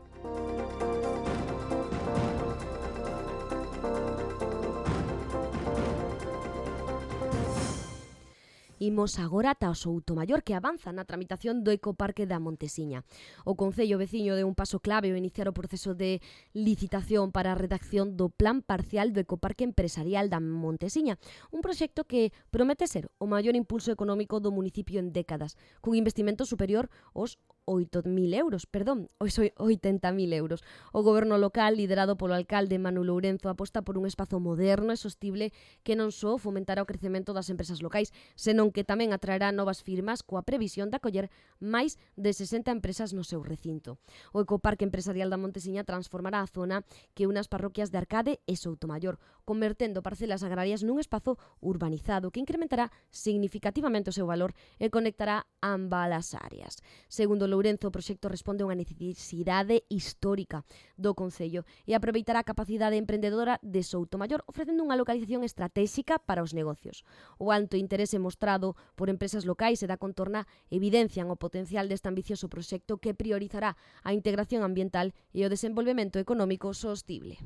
S2: Imos agora ata o Soutomaior, que avanza na tramitación do Ecoparque da Montesiña. O Concello veciño deu un paso clave ao iniciar o proceso de licitación para a redacción do Plan Parcial do Ecoparque Empresarial da Montesiña, un proxecto que promete ser o maior impulso económico do municipio en décadas, cun investimento superior aos oito mil euros, perdón, os oitenta mil euros. O goberno local, liderado polo alcalde Manu Lourenzo, aposta por un espazo moderno e sostible que non só fomentará o crecemento das empresas locais, senón que tamén atraerá novas firmas coa previsión de acoller máis de sesenta empresas no seu recinto. O Ecoparque Empresarial da Montesiña transformará a zona que une as parroquias de Arcade e Soutomaior, convertendo parcelas agrarias nun espazo urbanizado que incrementará significativamente o seu valor e conectará ambas as áreas. Segundo Lourenzo, o proxecto responde a unha necesidade histórica do Concello e aproveitará a capacidade emprendedora de Soutomaior, ofrecendo unha localización estratégica para os negocios. O alto interese mostrado por empresas locais e da contorna evidencian o potencial deste ambicioso proxecto que priorizará a integración ambiental e o desenvolvemento económico sostible.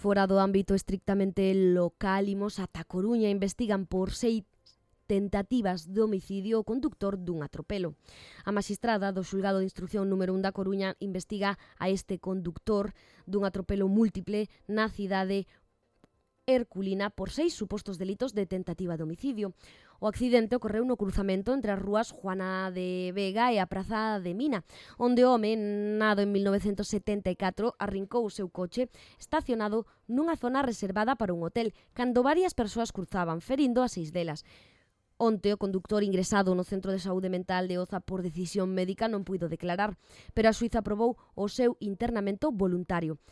S2: Fora do ámbito estrictamente local, imos ata Coruña, investigan por seis tentativas de homicidio o conductor dun atropelo. A magistrada do xulgado de instrucción número un da Coruña investiga a este conductor dun atropelo múltiple na cidade herculina por seis supostos delitos de tentativa de homicidio. O accidente ocorreu no cruzamento entre as rúas Juana de Vega e a Praza de Mina, onde o home, nado en mil novecentos setenta e catro, arrincou o seu coche estacionado nunha zona reservada para un hotel, cando varias persoas cruzaban, ferindo a seis delas. Onte, o conductor ingresado no Centro de Saúde Mental de Oza por decisión médica non puido declarar, pero a xuíza aprobou o seu internamento voluntario.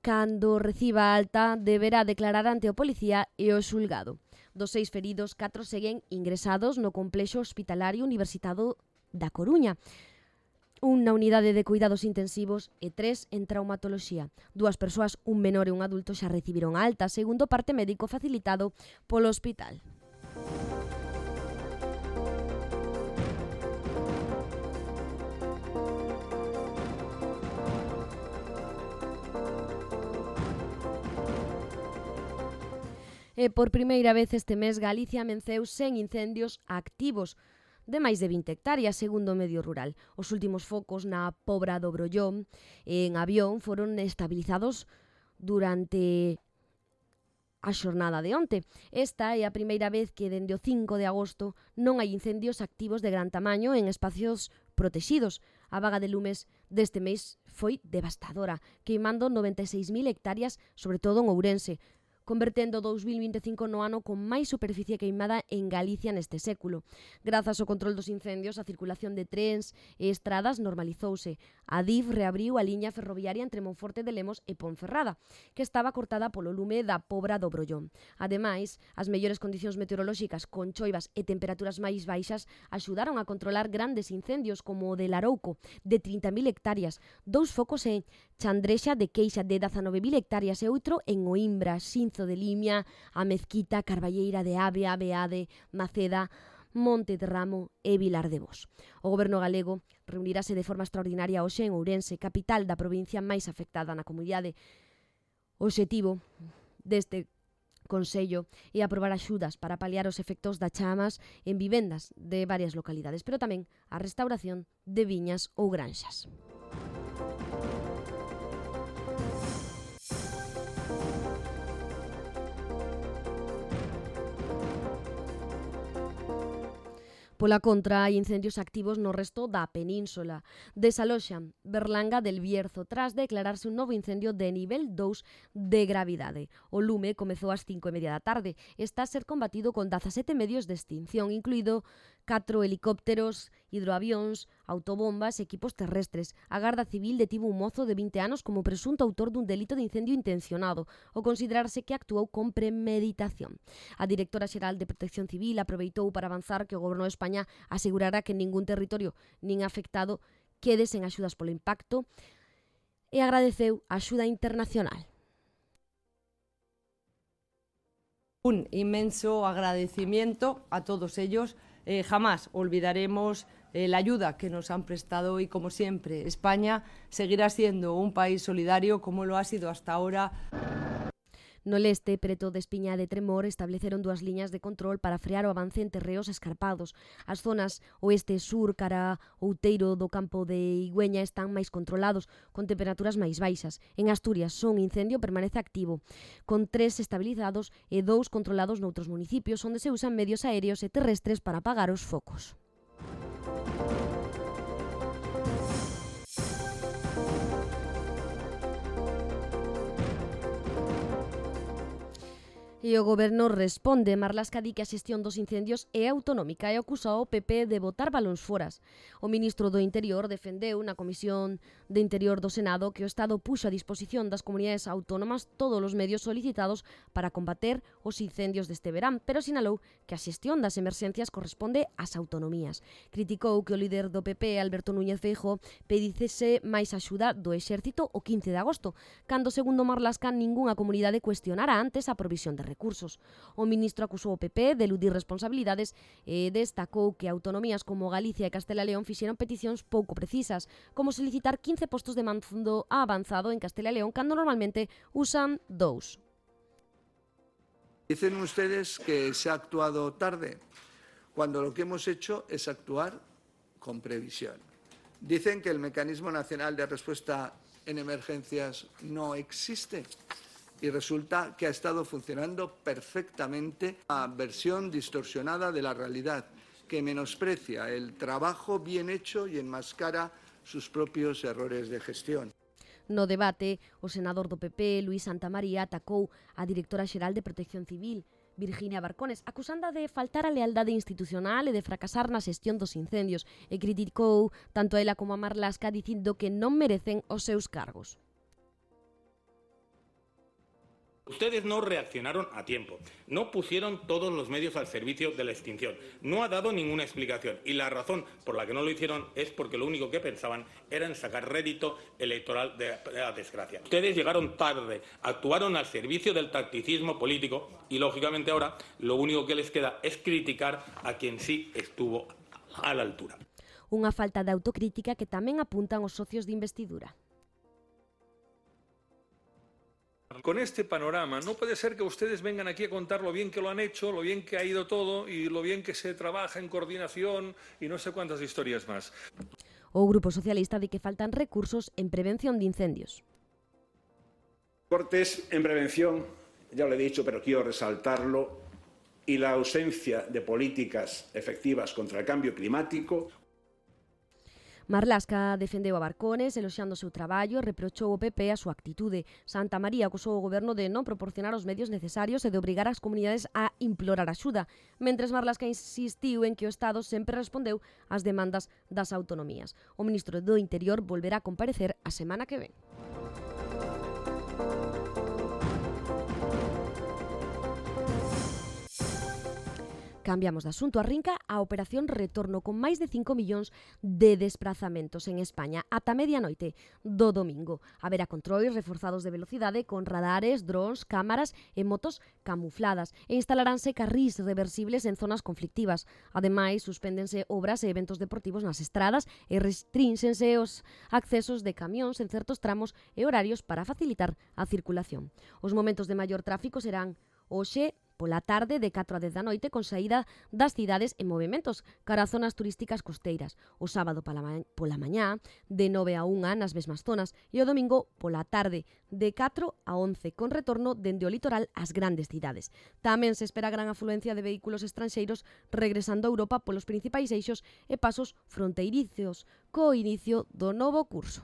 S2: Cando reciba alta, deberá declarar ante o policía e o xulgado. Dos seis feridos, catro seguen ingresados no complexo hospitalario universitado da Coruña, un na unidade de cuidados intensivos e tres en traumatoloxía. Dúas persoas, un menor e un adulto, xa recibiron alta, segundo parte médico facilitado polo hospital. E por primeira vez este mes Galicia amenceu sen incendios activos. de máis de vinte hectáreas, segundo o medio rural. Os últimos focos na Pobra do Brollón en avión foron estabilizados durante a xornada de onte. Esta é a primeira vez que dende o cinco de agosto non hai incendios activos de gran tamaño en espacios protexidos. A vaga de lumes deste mes foi devastadora, queimando noventa e seis mil hectáreas, sobre todo en Ourense, convertendo dous mil vinte e cinco no ano con máis superficie queimada en Galicia neste século. Grazas ao control dos incendios, a circulación de trens e estradas normalizouse. A D I F reabriu a liña ferroviaria entre Monforte de Lemos e Ponferrada, que estaba cortada polo lume da Pobra do Brollón. Ademais, as mellores condicións meteorolóxicas con choivas e temperaturas máis baixas axudaron a controlar grandes incendios como o de Larouco, de trinta mil hectáreas, dous focos en Chandrexa de Queixa de dezanove mil hectáreas e outro en Oimbra, Xinzo de Limia, a Mezquita, Carballeira de Avea, Beade, Maceda, Monte de Ramo e Vilar de Bos. O Goberno galego reunirase de forma extraordinaria hoxe en Ourense, capital da provincia máis afectada na comunidade. O obxectivo deste Consello e aprobar axudas para paliar os efectos das chamas en vivendas de varias localidades, pero tamén a restauración de viñas ou granxas. Pola contra, hai incendios activos no resto da península. Desaloxan Berlanga del Bierzo tras declararse un novo incendio de nivel dous de gravidade. O lume comezou ás cinco e media da tarde. Está a ser combatido con dezasete medios de extinción, incluído catro helicópteros, hidroavións, autobombas e equipos terrestres. A Garda Civil detivo un mozo de vinte anos como presunto autor dun delito de incendio intencionado, ao considerarse que actuou con premeditación. A directora xeral de Protección Civil aproveitou para avanzar que o Goberno de España asegurará que ningún territorio nin afectado quede sen axudas polo impacto e agradeceu a axuda internacional.
S17: Un inmenso agradecimiento a todos ellos. Eh, jamás olvidaremos eh, la ayuda que nos han prestado y, como siempre, España seguirá siendo un país solidario como lo ha sido hasta ahora.
S2: No leste, preto de Espiña de Tremor, estableceron dúas liñas de control para frear o avance en terreos escarpados. As zonas oeste e sur cara Outeiro do campo de Igüeña están máis controlados, con temperaturas máis baixas. En Asturias, son incendio permanece activo, con tres estabilizados e dous controlados noutros municipios, onde se usan medios aéreos e terrestres para apagar os focos. E o Goberno responde. Marlaska di que a xestión dos incendios é autonómica e acusa ao P P de botar balóns foras. O ministro do Interior defendeu na Comisión de Interior do Senado que o Estado puxo a disposición das comunidades autónomas todos os medios solicitados para combater os incendios deste verán, pero sinalou que a xestión das emerxencias corresponde ás autonomías. Criticou que o líder do P P, Alberto Núñez Feijóo, pedicese máis axuda do exército o quince de agosto, cando, segundo Marlaska, ningunha comunidade cuestionara antes a provisión de recursos. O ministro acusou o P P de eludir responsabilidades e destacou que autonomías como Galicia e Castela e León fixeron peticións pouco precisas, como solicitar quince postos de mando avanzado en Castela e León cando normalmente usan dous.
S18: Dicen ustedes que se ha actuado tarde, cuando lo que hemos hecho es actuar con previsión. Dicen que el Mecanismo Nacional de Respuesta en Emergencias no existe. Y resulta que ha estado funcionando perfectamente una versión distorsionada de la realidad, que menosprecia el trabajo bien hecho y enmascara sus propios errores de gestión.
S2: No debate, o senador do P P, Luís Santamaría, atacou a directora xeral de Protección Civil, Virginia Barcones, acusanda de faltar a lealdade institucional e de fracasar na xestión dos incendios, e criticou tanto a ela como a Marlaska dicindo que non merecen os seus cargos.
S19: Ustedes no reaccionaron a tiempo, no pusieron todos los medios al servicio de la extinción, no ha dado ninguna explicación y la razón por la que no lo hicieron es porque lo único que pensaban era en sacar rédito electoral de la desgracia. Ustedes llegaron tarde, actuaron al servicio del tacticismo político y lógicamente ahora lo único que les queda es criticar a quien sí estuvo a la altura.
S2: Unha falta de autocrítica que tamén apuntan os socios de investidura.
S20: Con este panorama, no puede ser que ustedes vengan aquí a contar lo bien que lo han hecho, lo bien que ha ido todo y lo bien que se trabaja en coordinación y no sé cuántas historias más.
S2: O Grupo Socialista di que faltan recursos en prevención de incendios.
S21: Cortes en prevención, ya lo he dicho, pero quiero resaltarlo, y la ausencia de políticas efectivas contra el cambio climático.
S2: Marlaska defendeu a Barcones, eloxando o seu traballo e reprochou ao P P a súa actitude. Santa María acusou o goberno de non proporcionar os medios necesarios e de obrigar as comunidades a implorar axuda, mentres Marlaska insistiu en que o Estado sempre respondeu ás demandas das autonomías. O ministro do Interior volverá a comparecer a semana que ven. Cambiamos de asunto. Arrinca a Operación Retorno con máis de cinco millóns de desprazamentos en España ata medianoite do domingo. Haberá controles reforzados de velocidade con radares, drons, cámaras e motos camufladas e instalaránse carrís reversibles en zonas conflictivas. Ademais, suspéndense obras e eventos deportivos nas estradas e restrínxense os accesos de camións en certos tramos e horarios para facilitar a circulación. Os momentos de maior tráfico serán hoxe pola tarde de catro a dez da noite con saída das cidades en movimentos cara a zonas turísticas costeiras, o sábado pola, ma pola mañá de nove a unha nas mesmas zonas e o domingo pola tarde de catro a once con retorno dende o litoral ás grandes cidades. Tamén se espera gran afluencia de vehículos estranxeiros regresando a Europa polos principais eixos e pasos fronteirizos co inicio do novo curso.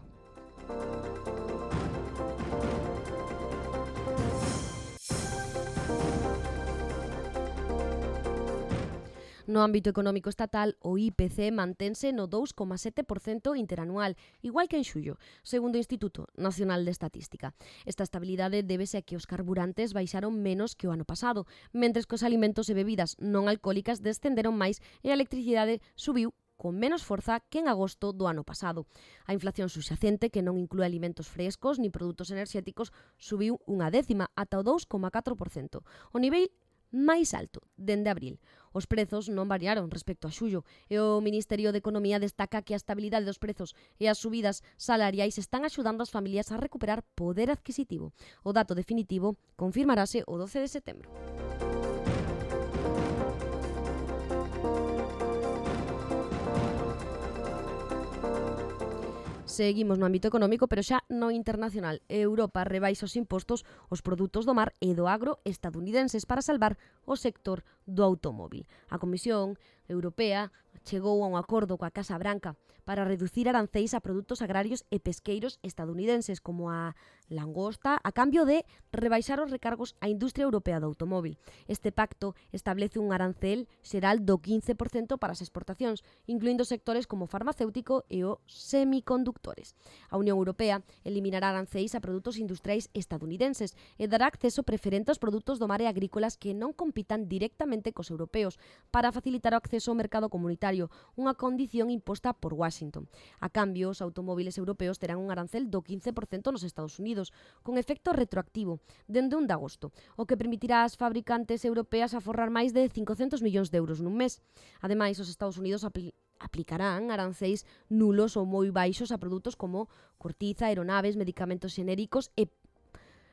S2: No ámbito económico estatal, o I P C mantense no dous coma sete por cento interanual, igual que en xullo, segundo o Instituto Nacional de Estatística. Esta estabilidade débese a que os carburantes baixaron menos que o ano pasado, mentres que os alimentos e bebidas non alcohólicas descenderon máis e a electricidade subiu con menos forza que en agosto do ano pasado. A inflación subxacente, que non inclúe alimentos frescos ni produtos enerxéticos, subiu unha décima ata o dous coma catro por cento. O nivel máis alto dende abril. Os prezos non variaron respecto a xullo e o Ministerio de Economía destaca que a estabilidade dos prezos e as subidas salariais están axudando as familias a recuperar poder adquisitivo. O dato definitivo confirmarase o doce de setembro. Seguimos no ámbito económico, pero xa no internacional. Europa rebaixa os impostos aos produtos do mar e do agro estadounidenses para salvar o sector do automóvil. A Comisión Europea chegou a un acordo coa Casa Branca para reducir aranceis a produtos agrarios e pesqueiros estadounidenses como a langosta a cambio de rebaixar os recargos á industria europea do automóvil. Este pacto establece un arancel xeral do quince por cento para as exportacións, incluindo sectores como o farmacéutico e os semiconductores. A Unión Europea eliminará aranceis a produtos industriais estadounidenses e dará acceso preferente aos produtos do mar e agrícolas que non compitan directamente cos europeos para facilitar o acceso ao mercado comunitario, unha condición imposta por Washington. A cambio, os automóviles europeos terán un arancel do quince por cento nos Estados Unidos, con efecto retroactivo, dende un de agosto, o que permitirá ás fabricantes europeas aforrar máis de cincocentos millóns de euros nun mes. Ademais, os Estados Unidos apl aplicarán aranceis nulos ou moi baixos a produtos como cortiza, aeronaves, medicamentos xenéricos e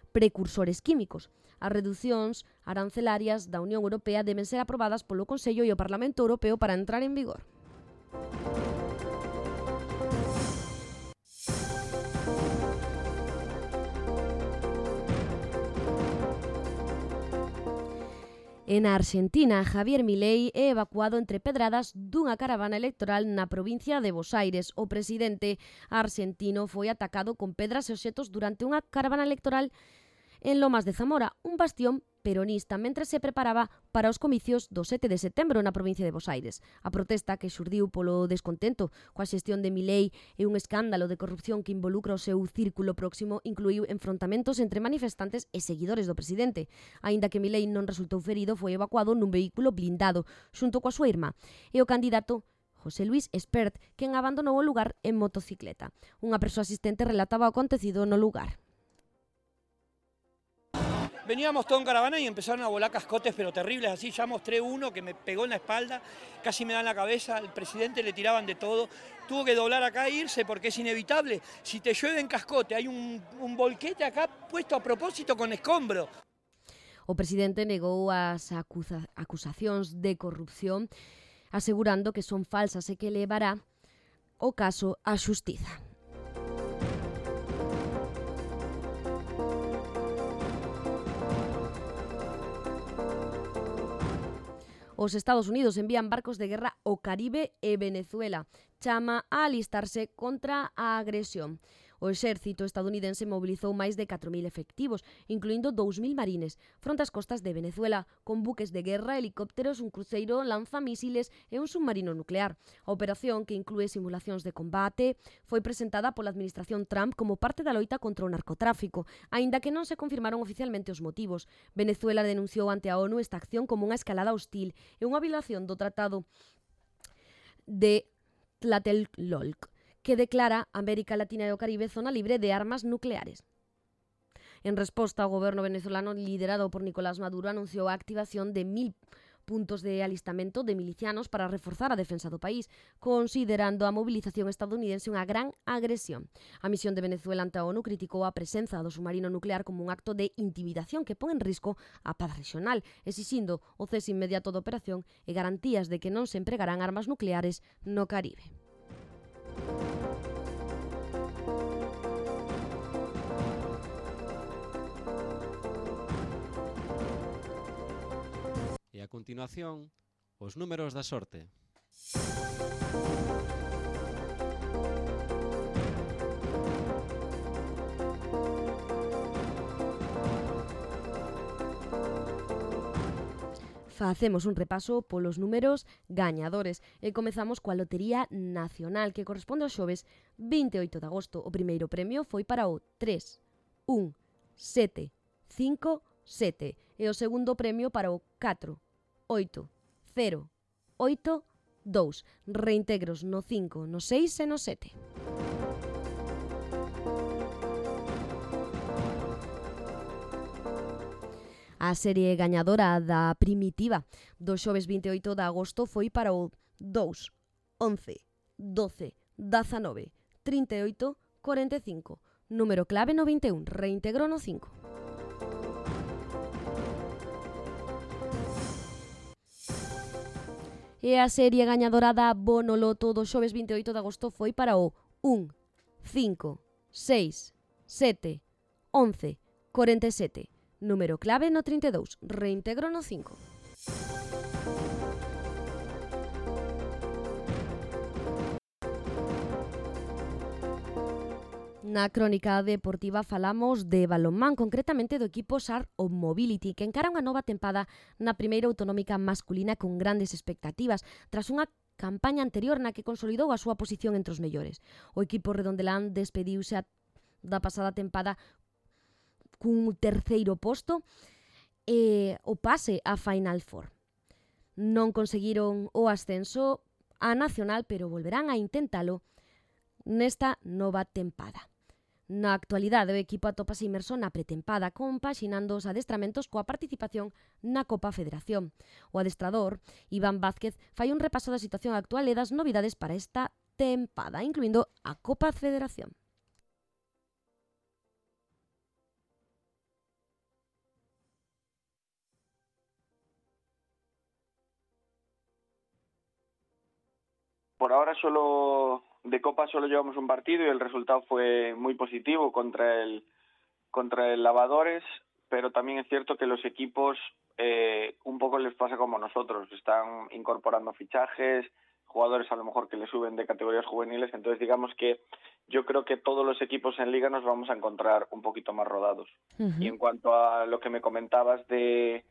S2: precursores químicos. As reducións arancelarias da Unión Europea deben ser aprobadas polo Consello e o Parlamento Europeo para entrar en vigor. En Argentina, Javier Milei é evacuado entre pedradas dunha caravana electoral na provincia de Buenos Aires. O presidente argentino foi atacado con pedras e obxetos durante unha caravana electoral en Lomas de Zamora, un bastión peronista, mentre se preparaba para os comicios do sete de setembro na provincia de Buenos Aires. A protesta que xurdiu polo descontento coa xestión de Milei e un escándalo de corrupción que involucra o seu círculo próximo incluiu enfrontamentos entre manifestantes e seguidores do presidente. Aínda que Milei non resultou ferido, foi evacuado nun vehículo blindado xunto coa súa irmá e o candidato José Luis Espert, quen abandonou o lugar en motocicleta. Unha persoa asistente relataba o acontecido no lugar.
S6: Veníamos todo en caravana y empezaron a volar cascotes, pero terribles, así. Ya mostré uno que me pegó en la espalda, casi me da en la cabeza, al presidente le tiraban de todo. Tuvo que doblar acá e irse porque es inevitable. Si te llueve en cascote, hay un, un volquete acá puesto a propósito con escombro.
S2: O presidente negou as acusa, acusacións de corrupción, asegurando que son falsas e que levará o caso á xustiza. Os Estados Unidos envían barcos de guerra ao Caribe e Venezuela. Chama a alistarse contra a agresión. O exército estadounidense mobilizou máis de catro mil efectivos, incluindo dous mil marines, fronte ás costas de Venezuela, con buques de guerra, helicópteros, un cruceiro, lanzamísiles e un submarino nuclear. A operación, que inclúe simulacións de combate, foi presentada pola administración Trump como parte da loita contra o narcotráfico, aínda que non se confirmaron oficialmente os motivos. Venezuela denunciou ante a ONU esta acción como unha escalada hostil e unha violación do Tratado de Tlatelolco, que declara América Latina e o Caribe zona libre de armas nucleares. En resposta, o goberno venezolano liderado por Nicolás Maduro anunciou a activación de mil puntos de alistamento de milicianos para reforzar a defensa do país, considerando a movilización estadounidense unha gran agresión. A misión de Venezuela ante a ONU criticou a presenza do submarino nuclear como un acto de intimidación que pon en risco a paz regional, exixindo o cese inmediato da operación e garantías de que non se empregarán armas nucleares no Caribe.
S3: E a continuación, os números da sorte.
S2: Facemos un repaso polos números gañadores e comezamos coa Lotería Nacional, que corresponde ao xoves vinte e oito de agosto. O primeiro premio foi para o tres un sete cinco sete e o segundo premio para o catro oito cero oito dous. Reintegros no cinco, no seis e no sete. A serie gañadora da primitiva do xoves vinte e oito de agosto foi para o dous, once, doce, dezanove, trinta e oito, cuarenta e cinco. Número clave no vinte e un, reintegro no cinco. E a serie gañadora da Bonoloto do xoves vinte e oito de agosto foi para o un, cinco, seis, sete, once, cuarenta e sete. Número clave no trinta e dous, reintegro no cinco. Na crónica deportiva falamos de balonmán, concretamente do equipo S A R of Mobility, que encara unha nova tempada na primeira autonómica masculina con grandes expectativas, tras unha campaña anterior na que consolidou a súa posición entre os mellores. O equipo redondelán despediuse da pasada tempada cun terceiro posto e o pase a Final Four. Non conseguiron o ascenso a Nacional, pero volverán a intentalo nesta nova tempada. Na actualidade, o equipo atópase inmerso na pretempada, compaxinando os adestramentos coa participación na Copa Federación. O adestrador, Iván Vázquez, fai un repaso da situación actual e das novidades para esta tempada, incluindo a Copa Federación.
S22: Por ahora solo de Copa solo llevamos un partido y el resultado fue muy positivo contra el contra el Lavadores, pero también es cierto que los equipos eh, un poco les pasa como nosotros, están incorporando fichajes, jugadores a lo mejor que le suben de categorías juveniles, entonces digamos que yo creo que todos los equipos en Liga nos vamos a encontrar un poquito más rodados. Uh-huh. Y en cuanto a lo que me comentabas de,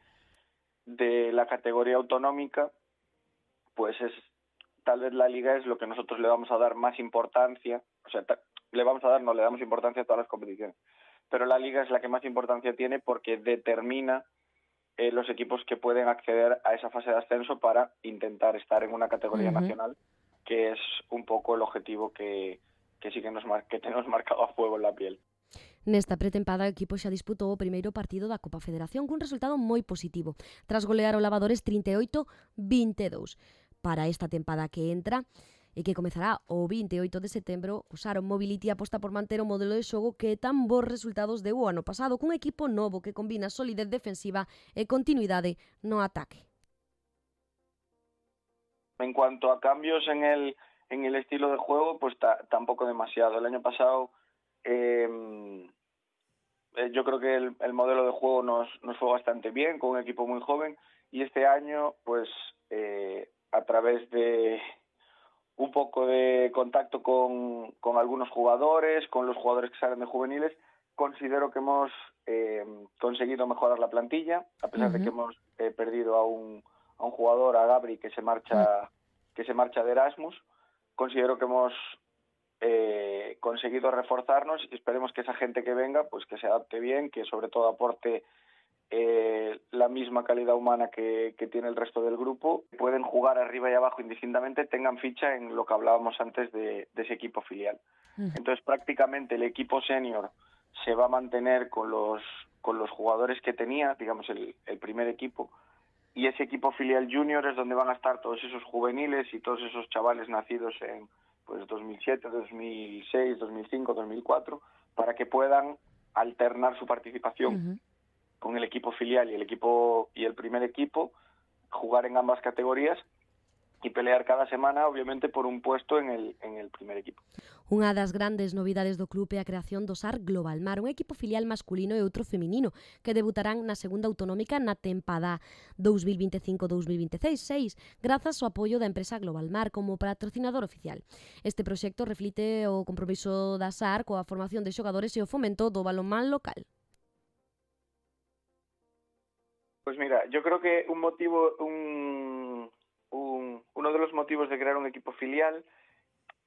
S22: de la categoría autonómica, pues es tal vez la Liga es lo que nosotros le vamos a dar más importancia, o sea, le vamos a dar, no le damos importancia a todas las competiciones, pero la Liga es la que más importancia tiene porque determina eh, los equipos que pueden acceder a esa fase de ascenso para intentar estar en una categoría uh-huh. nacional, que es un poco el objetivo que, que sí que, nos mar- que tenemos marcado a fuego en la piel.
S2: Nesta pretempada o equipo xa disputou o primeiro partido da Copa Federación cun resultado moi positivo, tras golear o Lavadores trinta e oito a vinte e dous. Para esta tempada que entra e que comezará o vinte e oito de setembro, o Saron Mobility aposta por manter o modelo de xogo que tan bons resultados deu o ano pasado, cun equipo novo que combina solidez defensiva e continuidade no ataque.
S22: En cuanto a cambios en el en el estilo de juego, pues ta, tampoco demasiado. El año pasado eh, yo creo que el, el modelo de juego nos, nos fue bastante bien, con un equipo muy joven, y este año, pues eh, a través de un poco de contacto con, con algunos jugadores, con los jugadores que salen de juveniles, considero que hemos eh, conseguido mejorar la plantilla, a pesar uh-huh. de que hemos eh, perdido a un, a un jugador, a Gabri, que se marcha, que se marcha de Erasmus. Considero que hemos eh, conseguido reforzarnos y esperemos que esa gente que venga, pues que se adapte bien, que sobre todo aporte Eh, la misma calidad humana que, que tiene el resto del grupo, pueden jugar arriba y abajo indistintamente, tengan ficha en lo que hablábamos antes de, de ese equipo filial. Entonces prácticamente el equipo senior se va a mantener con los, con los jugadores que tenía, digamos el, el primer equipo, y ese equipo filial junior es donde van a estar todos esos juveniles y todos esos chavales nacidos en pues dos mil siete, dos mil seis, dos mil cinco, dos mil cuatro, para que puedan alternar su participación uh-huh. con el equipo filial y el equipo y el primer equipo, jugar en ambas categorías y pelear cada semana, obviamente, por un puesto en el, en el primer equipo.
S2: Unha das grandes novidades do club é a creación do S A R Global Mar, un equipo filial masculino e outro feminino, que debutarán na segunda autonómica na tempada dos mil vinte e cinco dos mil vinte e seis, grazas ao apoio da empresa Global Mar como patrocinador oficial. Este proxecto reflite o compromiso da S A R coa formación de xogadores e o fomento do balonmán local.
S22: Pues mira, yo creo que un motivo, un, un, uno de los motivos de crear un equipo filial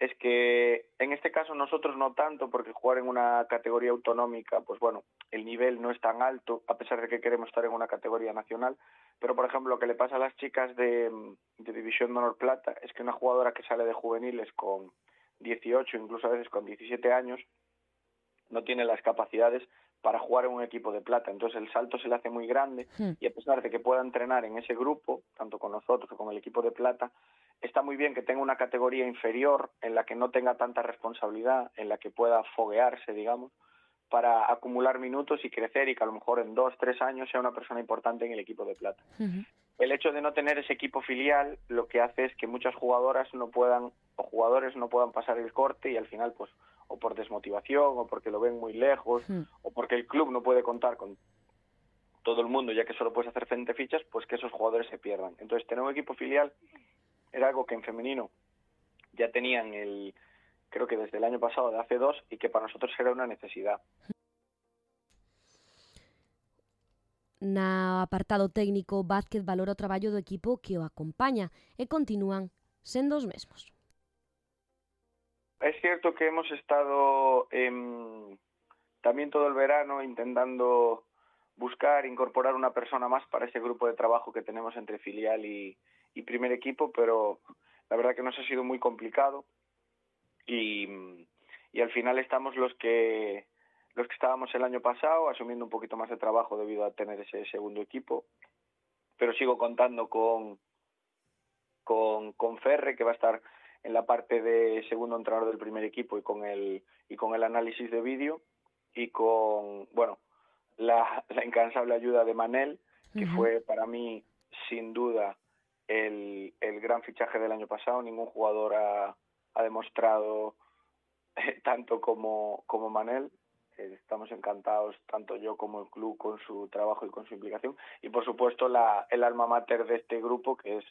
S22: es que en este caso nosotros no tanto, porque jugar en una categoría autonómica, pues bueno, el nivel no es tan alto, a pesar de que queremos estar en una categoría nacional, pero por ejemplo lo que le pasa a las chicas de, de División de Honor Plata es que una jugadora que sale de juveniles con dieciocho, incluso a veces con diecisiete años, no tiene las capacidades para jugar en un equipo de plata, entonces el salto se le hace muy grande sí. y a pesar de que pueda entrenar en ese grupo, tanto con nosotros o con el equipo de plata, está muy bien que tenga una categoría inferior en la que no tenga tanta responsabilidad, en la que pueda foguearse, digamos, para acumular minutos y crecer y que a lo mejor en dos, tres años sea una persona importante en el equipo de plata. Uh-huh. El hecho de no tener ese equipo filial lo que hace es que muchas jugadoras no puedan, o jugadores no puedan pasar el corte y al final pues o por desmotivación, o porque lo ven muy lejos, sí. o porque el club no puede contar con todo el mundo, ya que solo puedes hacer veinte fichas, pues que esos jugadores se pierdan. Entonces, tener un equipo filial era algo que en femenino ya tenían, el, creo que desde el año pasado, de hace dos, y que para nosotros era una necesidad.
S2: Na apartado técnico, Vázquez valora o traballo do equipo que o acompaña e continúan sendo os mesmos.
S22: Es cierto que hemos estado eh, también todo el verano intentando buscar, incorporar una persona más para ese grupo de trabajo que tenemos entre filial y, y primer equipo, pero la verdad que nos ha sido muy complicado y, y al final estamos los que los que estábamos el año pasado, asumiendo un poquito más de trabajo debido a tener ese segundo equipo, pero sigo contando con, con, con Ferre, que va a estar en la parte de segundo entrenador del primer equipo y con el y con el análisis de vídeo y con bueno la, la incansable ayuda de Manel, que uh-huh. fue para mí sin duda el, el gran fichaje del año pasado. Ningún jugador ha, ha demostrado eh, tanto como, como Manel. Eh, estamos encantados, tanto yo como el club, con su trabajo y con su implicación, y por supuesto la, el alma mater de este grupo, que es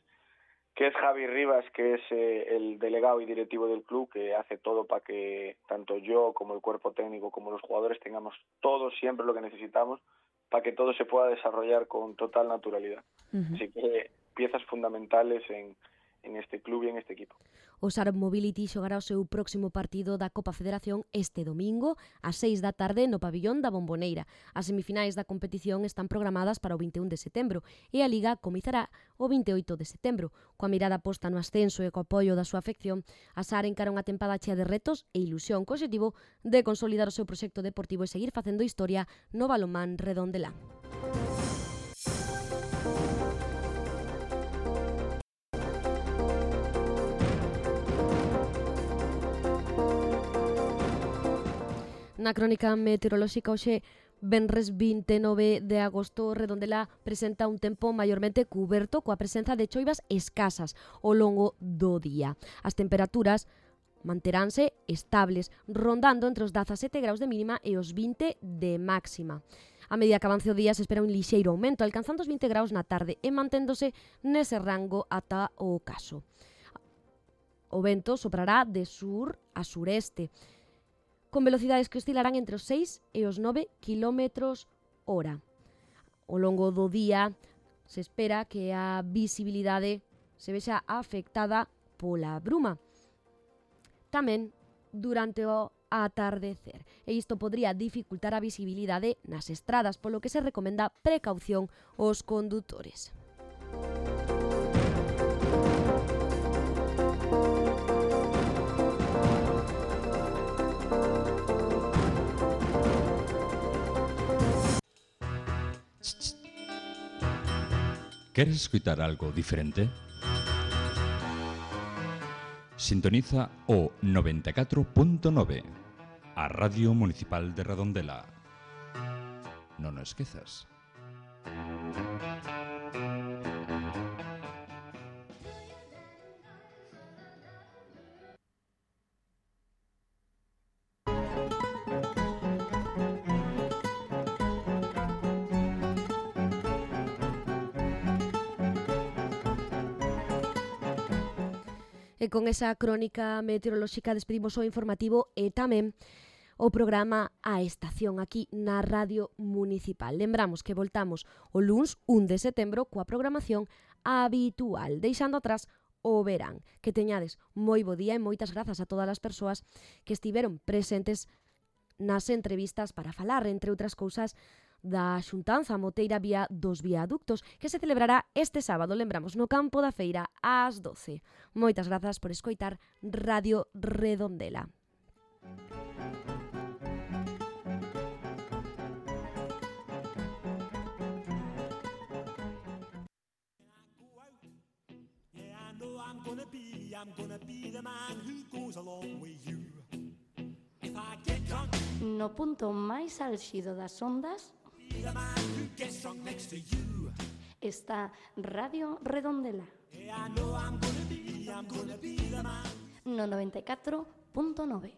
S22: que es Javi Rivas, que es eh, el delegado y directivo del club, que hace todo para que tanto yo como el cuerpo técnico como los jugadores tengamos todo siempre lo que necesitamos para que todo se pueda desarrollar con total naturalidad. Uh-huh. Así que piezas fundamentales en, en este club e en este equipo.
S2: O Sarab Mobility xogará o seu próximo partido da Copa Federación este domingo ás seis da tarde no pabillón da Bomboneira. As semifinais da competición están programadas para o vinte e un de setembro e a Liga comezará o vinte e oito de setembro. Coa mirada posta no ascenso e co apoio da súa afección, a Sar encara unha tempada chea de retos e ilusión co objetivo de consolidar o seu proxecto deportivo e seguir facendo historia no balonmán redondelán. Na crónica meteorolóxica hoxe, venres vinte e nove de agosto, Redondela presenta un tempo maiormente cuberto coa presenza de choivas escasas ao longo do día. As temperaturas manteránse estables, rondando entre os dezasete graus de mínima e os vinte de máxima. A medida que avance o día se espera un lixeiro aumento, alcanzando os vinte graus na tarde e manténdose nese rango ata o ocaso. O vento soprará de sur a sureste, con velocidades que oscilarán entre os seis e os nove quilómetros hora. Ao longo do día se espera que a visibilidade se vexa afectada pola bruma. Tamén durante o atardecer. E isto podría dificultar a visibilidade nas estradas, polo que se recomenda precaución aos condutores.
S1: ¿Queres escutar algo diferente? Sintoniza o noventa e catro punto nove, a Radio Municipal de Redondela. Non o esquezas.
S2: E con esa crónica meteorolóxica despedimos o informativo e tamén o programa A Estación aquí na Radio Municipal. Lembramos que voltamos o luns un de setembro coa programación habitual, deixando atrás o verán. Que teñades moi bo día e moitas grazas a todas as persoas que estiveron presentes nas entrevistas para falar, entre outras cousas, da xuntanza moteira vía dos viaductos que se celebrará este sábado, lembramos, no campo da feira ás doce. Moitas grazas por escoitar Radio Redondela.
S7: No punto máis álxido das ondas está Radio Redondela no noventa e catro punto nove.